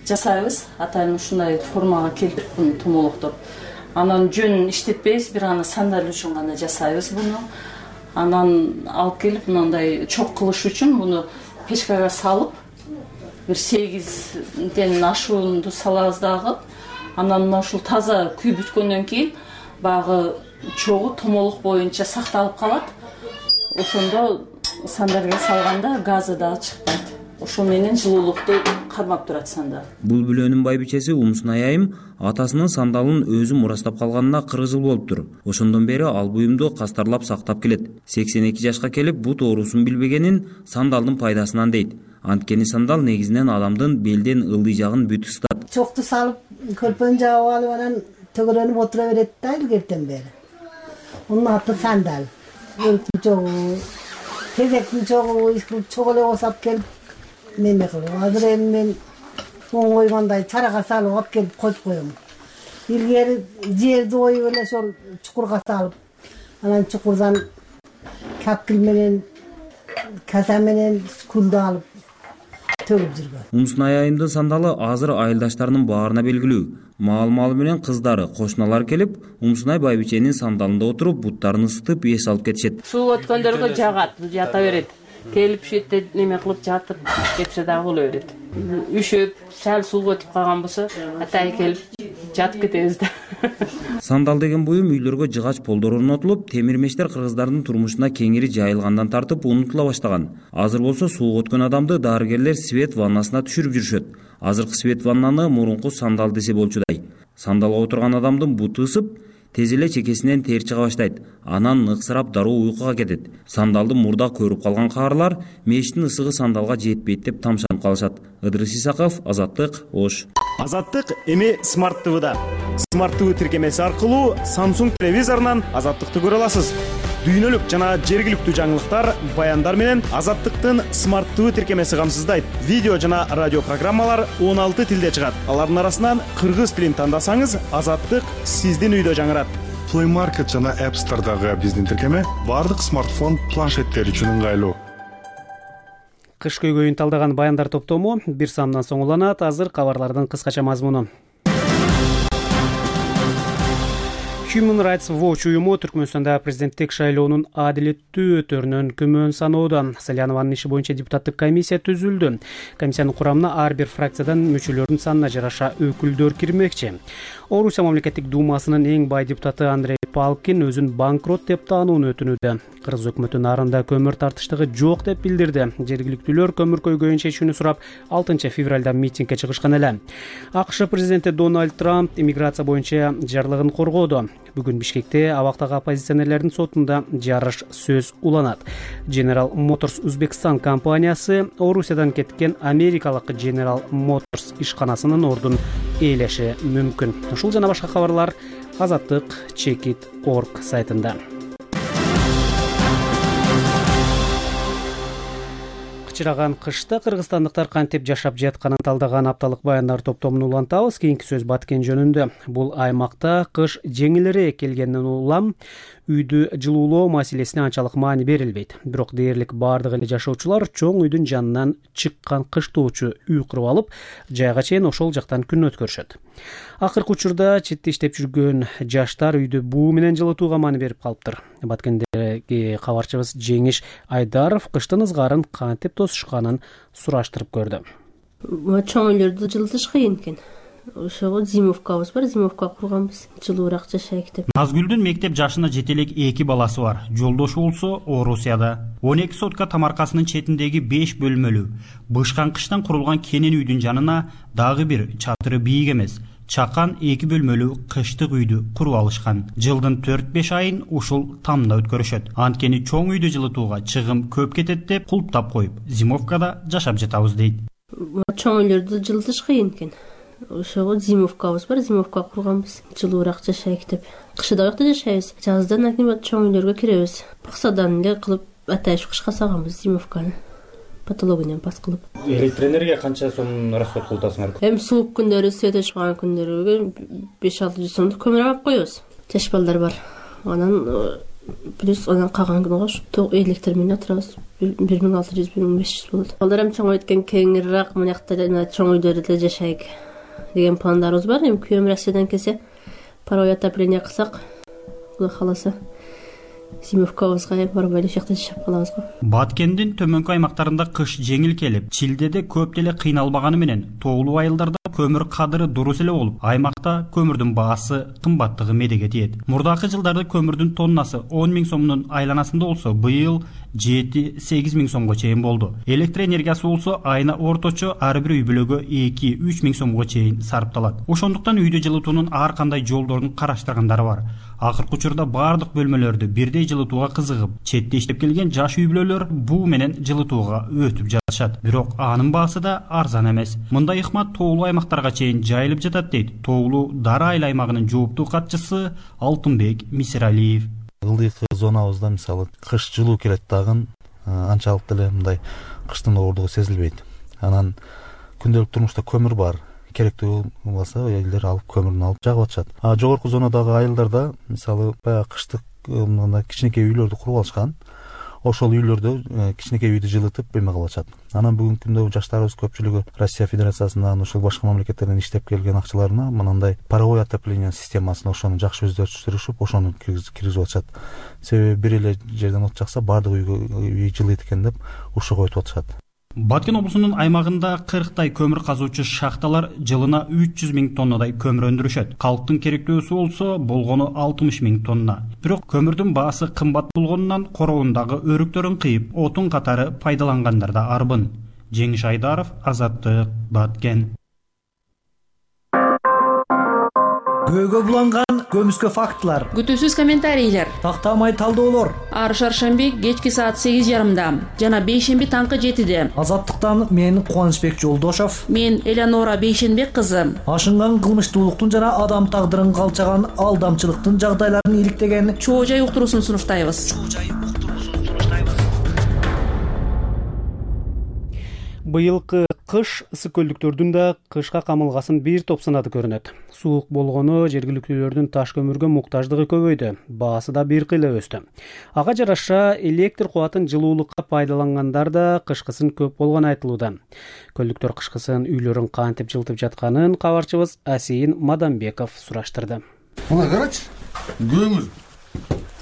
жасайбыз. Атайын ушундай формага келтирип тумолоктоп. Анан жөн иштетпейбиз, бир аны сандал үчүн гана жасайбыз буну. Анан алып келип мындай чок кылыш үчүн буну печкага салып бир сегизден ашуунду салабыз дагы. Анан мына ушул таза күйүп бүткөндөн кийин багы чогу томолук боюнча сакталып калат. Ошондо сандалга салганда газы дагы чыкпайт. Ошол менен жылуулукту кармап турат сандал. Бул бүлөнүн байбичеси Умсунай айым атасынын сандалын өзү мурастап калганына кырк жыл болуптур. Ошондон бери ал буюмду кастарлап сактап келет. сексен эки жашка келип бут оорусун билбегенин сандалдын пайдасынан дейт. Анткени сандал негизинен адамдын белден ылдый жагын бүт ыстат. Чокту салып, көрпөнү жаап алып анан төгөлөнүп отура берет да илгертен бери. Унун аты Сандал. Өлкүн чогуу, тезектин чогуу, ишкилип чогуу эле осап келип неме кылып. Азыр эми мен оң койгондой чарага салып алып келип коюп коем. Илгери жерди оюп эле ошол чукурга салып, анан чукурдан капкил менен, каса менен күлдү алып төгүп жүргөн. Умсунай айымдын сандалы азыр айылдаштарынын баарына белгилүү. Маал-маалы менен кыздары, кошуналар келип, Умсунай байбиченин сандалында отуруп, буттарын ысытып, эс алып кетишет. Суу өткөндөргө жагат, жата берет. Келип шетте неме кылып жатып кетсе дагы боло берет. Үшөп, сәл сууга өтүп калган болсо, атай келип жатып кетебиз да. Сандал деген буюм үйлөргө жыгач полдор орнотулуп, темир мештер кыргыздардын турмушуна кеңири жайылгандан тартып унутула баштаган. Азыр болсо сууга өткөн адамды дарыгерлер свет ваннасына түшүрүп жүрүшөт. Азыркы свет ваннаны мурунку сандал десе болчудай. Сандалга отурган адамдын буту ысып, тез эле чекесинен тер чыга баштайт. Анан ыксырап дароо уйкуга кетет. Сандалды мурда көрүп калган каарылар мештин ысыгы сандалга жетпейт деп тамшанып калышат. Ыдырыс Исаков, Азаттык, Ош. Азаттык эми Smart ти ви-да. Smart ти ви тиркемеси аркылуу Samsung телевизорунан Азаттыкты көрө аласыз. Дүйнөлүк жана жергиликтүү жаңылыктар, баяндар менен Азаттыктын Smart ти ви тиркемеси камсыздайт. Видео жана радио программалар он алты тилде чыгат. Алардын арасынан кыргыз тилин тандасаңыз, Азаттык сиздин үйдө жаңырат. Play Market жана App Store'дагы биздин тиркеме бардык смартфон, планшеттер үчүн ыңгайлуу. Кыш көйгөйүн талдаган баяндар топтому бир саамдан соң уланат. Азыр кабарлардын кыскача мазмуну. Human Rights Watch уюму Түркмөнстанда президенттик шайлоонун адилеттүү өтөрүнөн күмөн саноодо. Салянованын иши боюнча депутаттык комиссия түзүлдү. Комиссиянын курамына ар бир фракциядан мүчөлөрдүн санына жараша өкүлдөр кирмекчи. Орусия мамлекеттик думасынын эң бай депутаты Андрей Палкин өзүн банкрот деп таанууну өтүнүүдө. Кыргыз өкмөтү нарында көмүр тартыштыгы жок деп билдирди. Жергиликтүүлөр көмүр көйгөйүн чечүүнү сурап алтынчы февралда митингге чыгышкан эле. АКШ президенти Дональд Трамп иммиграция боюнча жарлыгын коргоду. Бүгүн Бишкекте абактагы оппозиционерлердин сотунда жарыш сөз уланат. General Motors Uzbekistan компаниясы Орусиядан кеткен америкалык General Motors ишканасынын ордун ээлеши мүмкүн. Ушул жана башка кабарлар Азаттык чекит точка орг сайтында. Кычыраган кышта кыргызстандыктар кантип жашап жатканын талдаган апталык баяндар топтомун улантабыз. Кийинки сөз Баткен жөнүндө. Бул аймакта кыш жеңилирээк келгенден улам үйдү жылуулоо маселесине анчалык маани берилбейт. Бирок дээрлик бардык эле жашоочулар чоң үйдүн жанынан чыккан кыштоочу үй куруп алып, жайга чейин ошол жактан күн өткөрүшөт. Акыркы учурда четте иштеп жүргөн жаштар үйдү буу менен жылытууга маани берип калыптыр. Баткендеги кабарчыбыз Жеңиш Айдаров кыштын ызгарын кантип тосушканын сураштырып көрдү. Чоң үйлөрдү жылытыш кыйын экен. Ошого зимовкабыз бар, зимовка курганбыз. Жылуураак жашайык деп. Назгүлдүн мектеп жашына жете элек эки баласы бар. Жолдошу болсо Орусияда. он эки сотка Тамаркасынын четиндеги беш бөлмөлүү, бышкан кыштан курулган кенен үйдүн жанына дагы бир чатыры бийик эмес, чакан эки бөлмөлүү кыштык үйдү куруп алышкан. Жылдын төрт беш айын ушул тамда өткөрүшөт. Анткени чоң үйдү жылытууга чыгым көп кетет деп кулптап коюп, зимовкада жашап жатабыз дейт. Чоң үйлөрдү жылытыш кыйын экен. Ошого зимовкабыз бар, зимовка курганбыз. Жылуураак жашайык деп. Кышда жакта жашайбыз. Жаздан акимат чоң үйлөргө киребиз. Баксадан эле кылып атайш кышка саганбыз зимовканы. Патологиянан пас кылып. Электроэнергия канча сом расход кылып атасыңар? Эми суук күндөрү, свет ачкан күндөрү беш алты жүз сомдук көмүр алып коебуз. Жаш балдар бар. Анан плюс анан калган күнү электр менен отурабыз. бир миң алты жүз, бир миң беш жүз болот. Балдар эми чоң өткөн кеңирээк мынакта жана чоң үйлөрдө жашайык деген пландарыбыз бар. Эми күйөөм Россиядан келсе, паровой отопление кылсак, Кудай кааласа, зимовкабызга барып эле жакта жашап калабыз го. Баткендин төмөнкү аймактарында кыш жеңил келип, Чилдеде көп деле кыйналбаганы менен тоолуу айылдарда көмүр кадыры дурус эле болуп, аймакта көмүрдүн баасы кымбаттыгы медеге тиет. Мурдакы жылдарда көмүрдүн тоннасы он миң сомдун айланасында болсо, быйыл жети сегиз миң сомго чейин болду. Электр энергиясы болсо айына орточо ар бир үй бүлөгө эки үч миң сомго чейин сарпталат. Ошондуктан үйдү жылытуунун ар кандай жолдорун караштыргандары бар. Акыркы учурда бардык бөлмөлөрдү бирдей жылытууга кызыгып, четте иштеп келген жаш үй бүлөлөр буу менен жылытууга өтүп жатышат. Бирок анын баасы да арзан эмес. Мындай ыкмат тоолуу аймактарга чейин жайылып жатат дейт тоолуу Дара айыл аймагынын жооптуу катчысы Алтынбек Мисиралиев. Ылдыйкы зонабызда мисалы кыш жылуу келет дагы анчалык деле мындай кыштын ооругу сезилбейт. Анан күндөлүк турмушта көмүр бар. Керектүү болсо элдер алып көмүрүн алып жагып атышат. А жогорку зонадагы айылдарда мисалы баягы кыштык мындай кичинекей үйлөрдү куруп алышкан. Ошол үйлөрдө кичинекей үйдү жылытып эме кылып атышат. Анан бүгүнкү күндө жаштарыбыз көпчүлүгү Россия Федерациясынан, ошол башка мамлекеттерден иштеп келген акчаларына мындай паровой отопление системасын ошону жакшы өздөштүрүшүп, ошону киргизип атышат. Себеби бир эле жерден от жакса бардык үйгө үй жылыйт экен деп ушуга өтүп атышат. Баткен облусунун аймагында кырктай көмүр казуучу шахталар жылына үч жүз миң тоннадай көмүр өндүрүшөт. Калктын керектөөсү болсо болгону алтымыш миң тонна. Бирок көмүрдүн баасы кымбат болгонунан короонундагы өрүктөрүн кыйып, отун катары пайдалангандар да арбын. Жеңиш Айдаров, Азаттык, Баткен. Көөгө буланган көмүскө фактылар, күтүүсүз комментарийлер, тактамай талдоолор. Ар шаршемби кечки саат сегиз жарымда жана бейшемби таңкы жетиде. Азаттыктан мен Кубанычбек Жолдошов, мен Элеонора Бейшенбек кызы. Ашынган кылмыштуулуктун жана адам тагдырын калчаган алдамчылыктын жагдайларын иликтеген чоо жай уктуруусун сунуштайбыз. Быйылкы кыш ысык көлдүктөрдүн да кышка камылгасын бир топ сынады көрүнөт. Суук болгону жергиликтүүлөрдүн таш көмүргө муктаждыгы көбөйдү, баасы да бир кыйла өстү. Ага жараша электр кубатын жылуулукка пайдалангандар да кышкысын көп болгону айтылууда. Көлдүктөр кышкысын үйлөрүн кантип жылытып жатканын кабарчыбыз Асейин Мадамбеков сураштырды. Мына карачы, көмүр.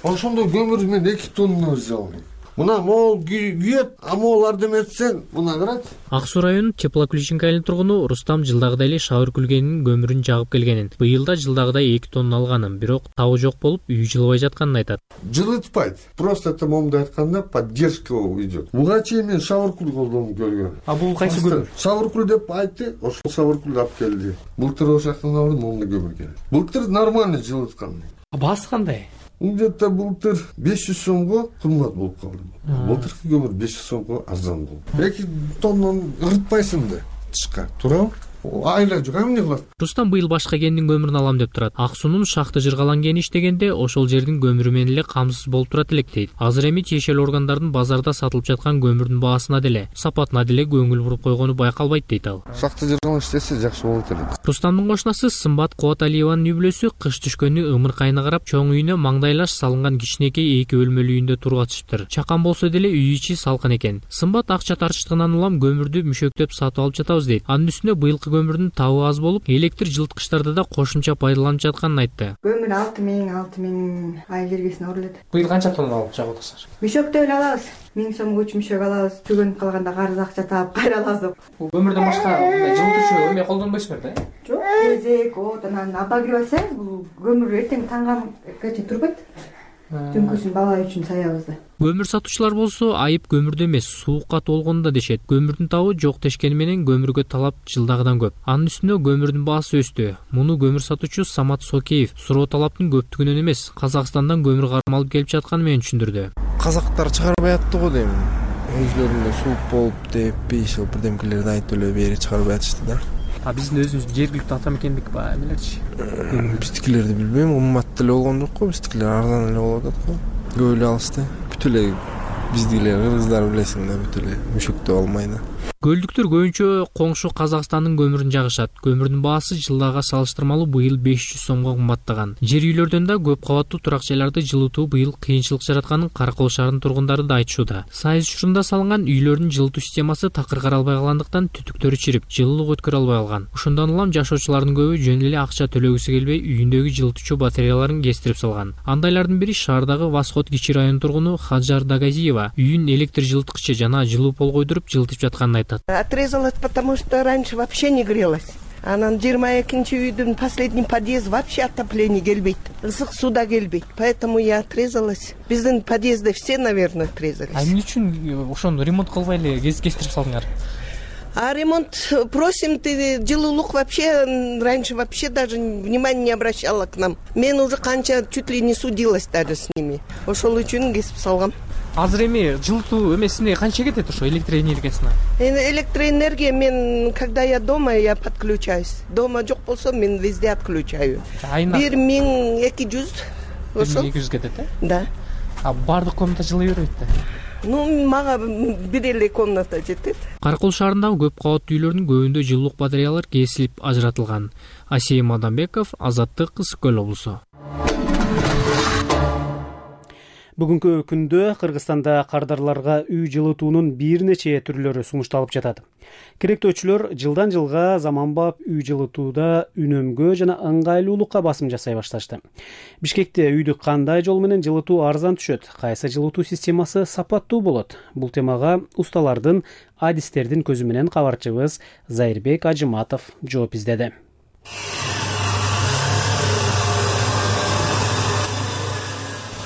Ошондой көмүр мен эки тонна алдым. Мына мол күйөт, а моларды эметсең, мына карачы. Ак Суу районунун Теплоключенко айылынын тургуну Рустам жылдагыдай эле шаар күлгенин көмүрүн жагып келгенин, быйыл да жылдагыдай эки тонна алганын, бирок табы жок болуп, үй жылыбай жатканын айтат. Жылытпайт. Просто это момду айтканда поддержка идет. Буга чейин мен шавыркул колдонуп көргөм. А бул кайсы көмүр? Шавыркул деп айтты, ошол шавыркулду алып келди. Былтыр ошол жактан алдым, момду көмүр келди. Былтыр нормально жылыткан. А баасы кандай? Где-то былтыр беш жүз сомго кымбат болуп калды. Былтыркы көмүр беш жүз сомго арзан болду. эки тоннаны ырытпайсың да тышка, туурабы? Айла жок, эмне кылат? Рустам быйыл башка кендин көмүрүн алам деп турат. Ак суунун шахта жыргалан кени иштегенде ошол жердин көмүрү менен эле камсыз болуп турат элек дейт. Азыр эми тиешелүү органдардын базарда сатылып жаткан көмүрдүн баасына деле, сапатына деле көңүл буруп койгону байкалбайт дейт ал. Шахта жыргалан иштесе жакшы болот эле. Рустамдын кошунасы Сымбат Кубаталиеванын үй бүлөсү кыш түшкөнү ымыркайына карап, чоң үйүнө маңдайлаш салынган кичинекей эки бөлмөлүү үйүндө тургатышыптыр. Чакан болсо деле үй ичи салкын экен. Сымбат акча тартыштыгынан улам көмүрдү мүшөктөп сатып алып жатабыз дейт. Анын үстүнө быйылкы көмүрдүн табы аз болуп, электр жылыткычтарды да кошумча пайдаланып жатканын айтты. Көмүр алты миң алты миң ай киргесине урулат. Быйыл канча тонна алып чагып атасыздар? Мүшөктө эле алабыз. миң сомго үч мүшөк алабыз. Түгөнүп калганда карыз акча таап кайра алабыз. Бул көмүрдөн башка жылытуучу эме колдонбойсуңар да? Жок, кезек, от, анан обогреватель, бул көмүр эртең таңга турбайт. Түнкүсүн бала үчүн саябызда. Көмүр сатуучулар болсо айып көмүрдө эмес, суукка толгонунда дешет. Көмүрдүн табы жок дешкени менен көмүргө талап жылдагыдан көп. Анын үстүнө көмүрдүн баасы өстү. Муну көмүр сатуучу Самат Сокеев суроо талаптын көптүгүнөн эмес, Казакстандан көмүр кармалып алып келип жатканы менен түшүндүрдү. Казактар чыгарбай атты го дейм. Өзлөрүндө суук болуп деп, бейшил бирдемкелерди айтып эле бери чыгарбай атышты да. А биздин өзүбүз жергиликтүү ата мекендик ба эмелерчи? Биздикилерди билбейм, кымбат деле болгон жок го, биздикилер арзан эле болуп атат го. Көп эле алышты. Бүт эле биздикилер кыргыздар билесиң да, бүт эле мүшөктөп алмай да. Көлдүктөр көбүнчө коңшу Казакстандын көмүрүн жагышат. Көмүрдүн баасы жылдага салыштырмалуу быйыл беш жүз сомго кымбаттаган. Жер үйлөрдөн да көп кабаттуу турак жайларды жылытуу быйыл кыйынчылык жаратканын Каракол шаарынын тургундары да айтышууда. Сайыз учурунда салынган үйлөрдүн жылытуу системасы такыр каралбай калгандыктан түтүктөрү чирип, жылуулук өткөрө албай калган. Ошондон улам жашоочулардын көбү жөн эле акча төлөгүсү келбей, үйүндөгү жылытуучу батареяларын кестирип салган. Андайлардын бири шаардагы Восход кичи районунун тургуну Хаджар Дагазиева. Үйүн электр жылыткычы жана жылуу пол койдуруп жылытып жатканын айтат. Отрезалась, потому что раньше вообще не грелась. Анан жыйырма экинчи үйдүн последний подъезд вообще отопление келбейт. Ысык суда келбейт. Поэтому я отрезалась. Биздин подъездде все, наверное, отрезались. А эмне үчүн ошону ремонт кылбай эле кестирип салдыңар? А ремонт просим, ты жылуулук вообще раньше вообще даже внимания не обращала к нам. Мен уже канча чуть ли не судилась даже с ними. Ошол үчүн кесип салгам. Азыр эми жылытуу эмесине канча кетет ошо электроэнергиясына? Электроэнергия мен, когда я дома, я подключаюсь. Дома жок болсо мен везде отключаю. Бир миң эки жүз. Ошо эки жүз кетет, э? Да. А бардык комната жылый бербейт да? Ну, мага бир эле комната жетет. Каракол шаарындагы көп кабаттуу үйлөрдүн көбүндө жылуулук батареялары кесилип ажыратылган. Асейим Адамбеков, Азаттык, Ысык Көл облусу. Бүгүнкү күндө Кыргызстанда кардарларга үй жылытуунун бир нече түрлөрү сунушталып жатат. Керектөөчүлөр жылдан жылга заманбап үй жылытууда үнөмгө жана ыңгайлуулукка басым жасай башташты. Бишкекте үйдү кандай жол менен жылытуу арзан түшөт, кайсы жылытуу системасы сапаттуу болот? Бул темага усталардын, адистердин көзү менен кабарчыбыз Зайырбек Ажыматов жооп издеди.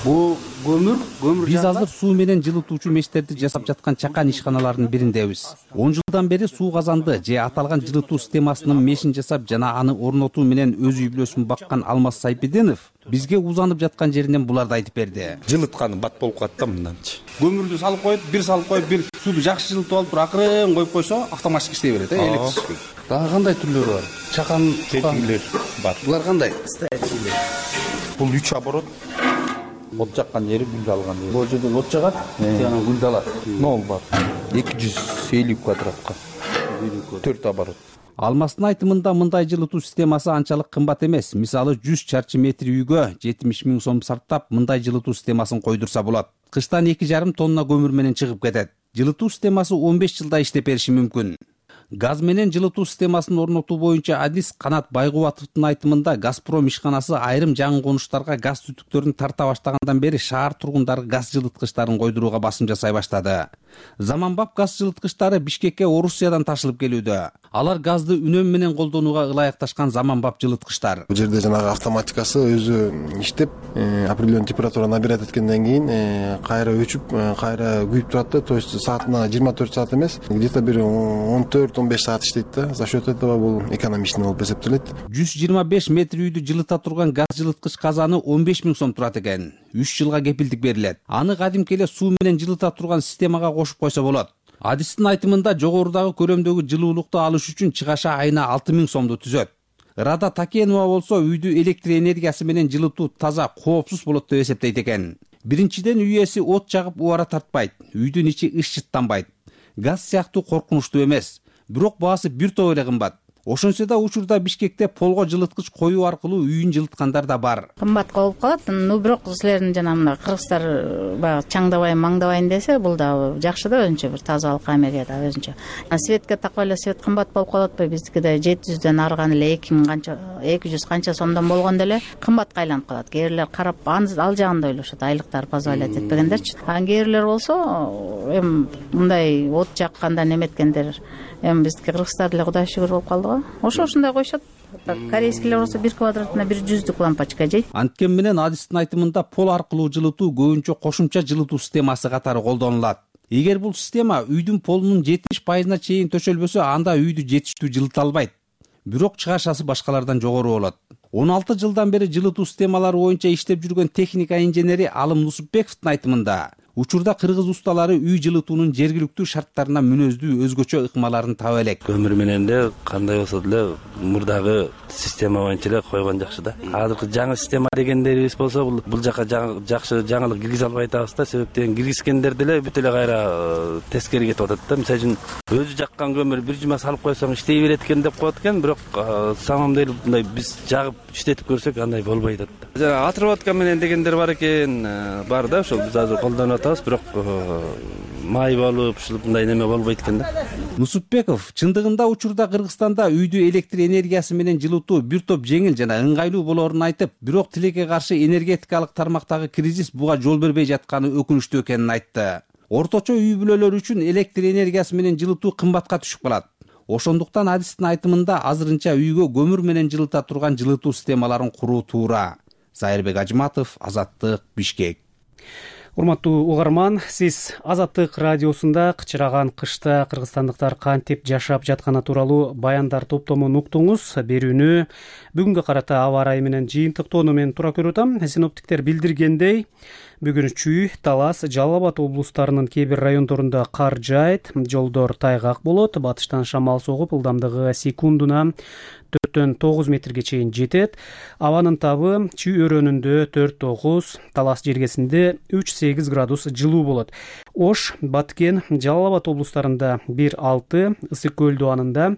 Бул көмүр, көмүр биз азыр суу менен жылытуучу мештерди жасап жаткан чакан ишканалардын бириндебиз. он жылдан бери суу казанды же аталган жылытуу системасынын мешин жасап жана аны орнотуу менен өз үй бүлөсүн баккан Алмаз Сайпеденов бизге узанып жаткан жеринен буларды айтып берди. Жылытканы бат болуп калат да мынданчы. Көмүрдү салып коюп, бир салып коюп, бир сууду жакшы жылытып алып, туруп акырын коюп койсо, автоматик иштей берет, э, электрический. Дагы кандай түрлөрү бар? Чакан кетүүлөр бар. Булар кандай? Бул үч оборот. От жаккан жери, гүл алган жери. Бул жерден от жагат, анан гүлдү алат. Нол бар. эки жүз элүү квадратка. төрт оборот. Алмаздын айтымында мындай жылытуу системасы анчалык кымбат эмес. Мисалы жүз чарчы метр үйгө жетимиш миң сом сарптап мындай жылытуу системасын койдурса болот. Кыштан эки жарым тонна көмүр менен чыгып кетет. Жылытуу системасы он беш жылда иштеп бериши мүмкүн. Газ менен жылытуу системасын орнотуу боюнча адис Канат Байгубатовдун айтымында Газпром ишканасы айрым жаңы конуштарга газ түтүктөрүн тарта баштагандан бери шаар тургундары газ жылыткычтарын койдурууга басым жасай баштады. Заманбап газ жылыткычтары Бишкекке Орусиядан ташылып келүүдө. Алар газды үнөм менен колдонууга ылайыкташкан заманбап жылыткычтар. Бул жерде жанагы автоматикасы өзү иштеп, определенный температура набирать эткенден кийин кайра өчүп, кайра күйүп турат да. То есть саатына жыйырма төрт саат эмес, где-то бир он төрт он беш саат иштейт да. За счет этого бул экономичный болуп эсептелет. жүз жыйырма беш метр үйдү жылыта турган газ жылыткыч казаны он беш миң сом турат экен. үч жылга кепилдик берилет. Аны кадимки эле суу менен жылыта турган системага кошуп койсо болот. Адистин айтымында жогорудагы көрөмдөгү жылуулукту алыш үчүн чыгаша айына алты миң сомду түзөт. Рада Такенова болсо үйдү электр энергиясы менен жылытуу таза, коопсуз болот деп эсептейт экен. Биринчиден үй ээси от жагып убара тартпайт, үйдүн ичи ысчыттанбайт. Газ сыяктуу коркунучтуу эмес, бирок баасы бир топ эле кымбат. Ошончо да учурда Бишкекте полго жылыткыч коюу аркылуу үйүн жылыткандар да бар. Кымбат болуп калат. Ну бирок силердин жана мына кыргыздар баягы чаңдабайын, маңдабайын десе, бул да жакшы да өзүнчө бир тазалык Америка да өзүнчө. Светке такой эле свет кымбат болуп калатпы? Биздикиде жети жүздөн арыган эле эки миң канча, эки жүз канча сомдон болгондо эле кымбатка айланып калат. Кээрлер карап ал жагында ойлошот, айлыктар позволять этпегендерчи. А кээрлер болсо эми мындай от жакканда неметкендер эми биздики кыргыздар деле Кудай шүгүр болуп калды го. Ошо ушундай коюшат. Корейскийлер болсо бир квадратына бир жүздүк лампочка жейт. Анткени менен адистин айтымында пол аркылуу жылытуу көбүнчө кошумча жылытуу системасы катары колдонулат. Эгер бул система үйдүн полунун жетимиш пайызына чейин төшөлбөсө, анда үйдү жетиштүү жылыта албайт. Бирок чыгашасы башкалардан жогору болот. он алты жылдан бери жылытуу системалары боюнча иштеп жүргөн техника инженери Алым Нусупбековдун айтымында учурда кыргыз усталары үй жылытуунун жергиликтүү шарттарына мүнөздүү өзгөчө ыкмаларын таба элек. Көмүр менен де кандай болсо деле мурдагы система боюнча эле койгон жакшы да. Азыркы жаңы система дегендерибиз болсо бул бул жака жакшы жаңылык киргизе албай атабыз да. Себептен киргизгендер деле бүт эле кайра тескери кетип атат да. Мисалы үчүн өзү жаккан көмүр бир жума салып койсоң иштей берет экен деп коет экен, бирок самом деле мындай биз жагып иштетип көрсөк андай болбой атат да. Жана отработка менен дегендер бар экен, бар да, ошол биз азыр колдонуп атабыз, бирок май болуп, ушул мындай неме болбойт экен да. Нусупбеков чындыгында учурда Кыргызстанда үйдү электр энергиясы менен жылытуу бир топ жеңил жана ыңгайлуу болоорун айтып, бирок тилекке каршы энергетикалык тармактагы кризис буга жол бербей жатканы өкүнүчтүү экенин айтты. Орточо үй бүлөлөр үчүн электр энергиясы менен жылытуу кымбатка түшүп калат. Ошондуктан адистин айтымында азырынча үйгө көмүр менен жылыта турган жылытуу системаларын куруу туура. Зайырбек Ажыматов, Азаттык, Бишкек. Урматтуу угарман, сиз Азаттык радиосунда кычыраган кышта кыргызстандыктар кантип жашап жатканы тууралуу баяндар топтомун уктуңуз. Берүүнү бүгүнгө карата аба ырайы менен жыйынтыктоону мен туура көрүп атам. Синоптиктер билдиргендей, бүгүн Чүй, Талас, Жалал Абад облустарынын кээ бир райондорунда кар жаайт, жолдор тайгак болот, батыштан шамал согуп, ылдамдыгы секундуна төрттөн тогуз метрге чейин жетет. Абанын табы Чүй өрөөнүндө төрт тогуз, Талас жергесинде үч сегиз градус жылуу болот. Ош, Баткен, Жалал Абад облустарында бир алты, Ысык көл дубанында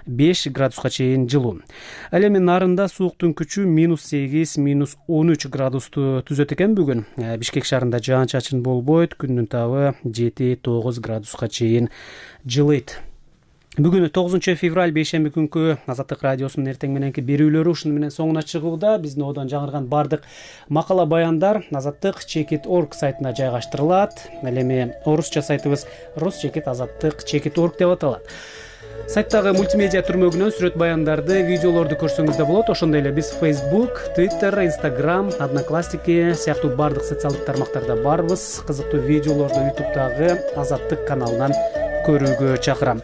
беш градуска чейин жылуу. Ал эми нарында сууктун күчү минус сегиз, минус он үч градусту түзөт экен бүгүн. Бишкек шаарында жаан чачын болбойт, күндүн табы жети тогуз градуска чейин жылыйт. Бүгүн тогузунчу февраль бейшемби күнкү Азаттык радиосунун эртең мененки берүүлөрү ушуну менен соңуна чыгууда. Биздин одон жаңырган бардык макала баяндар Азаттык чекит точка орг сайтына жайгаштырылат. Ал эми орусча сайтыбыз Росчекит Азаттык чекит точка орг деп аталат. Сайттагы мультимедиа түрмөгүнөн сүрөт баяндарды, видеолорду көрсөңүз да болот. Ошондой эле биз Facebook, Twitter, Instagram, Одноклассники сыяктуу бардык социалдык тармактарда барбыз. Кызыктуу видеолорду ютубтагы Азаттык каналынан көрүүгө чакырам.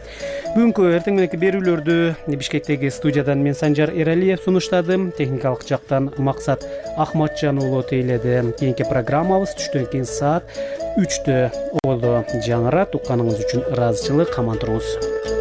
Бүгүнкү эртең мененки берүүлөрдү Бишкектеги студиядан мен Санжар Эралиев сунуштадым. Техникалык жактан Максат Ахматжан уулу тейледи. Кийинки программабыз түштөн кийин саат үчтө болду. Жаңырат укканыңыз үчүн ыраазычылык, аман туруңуз.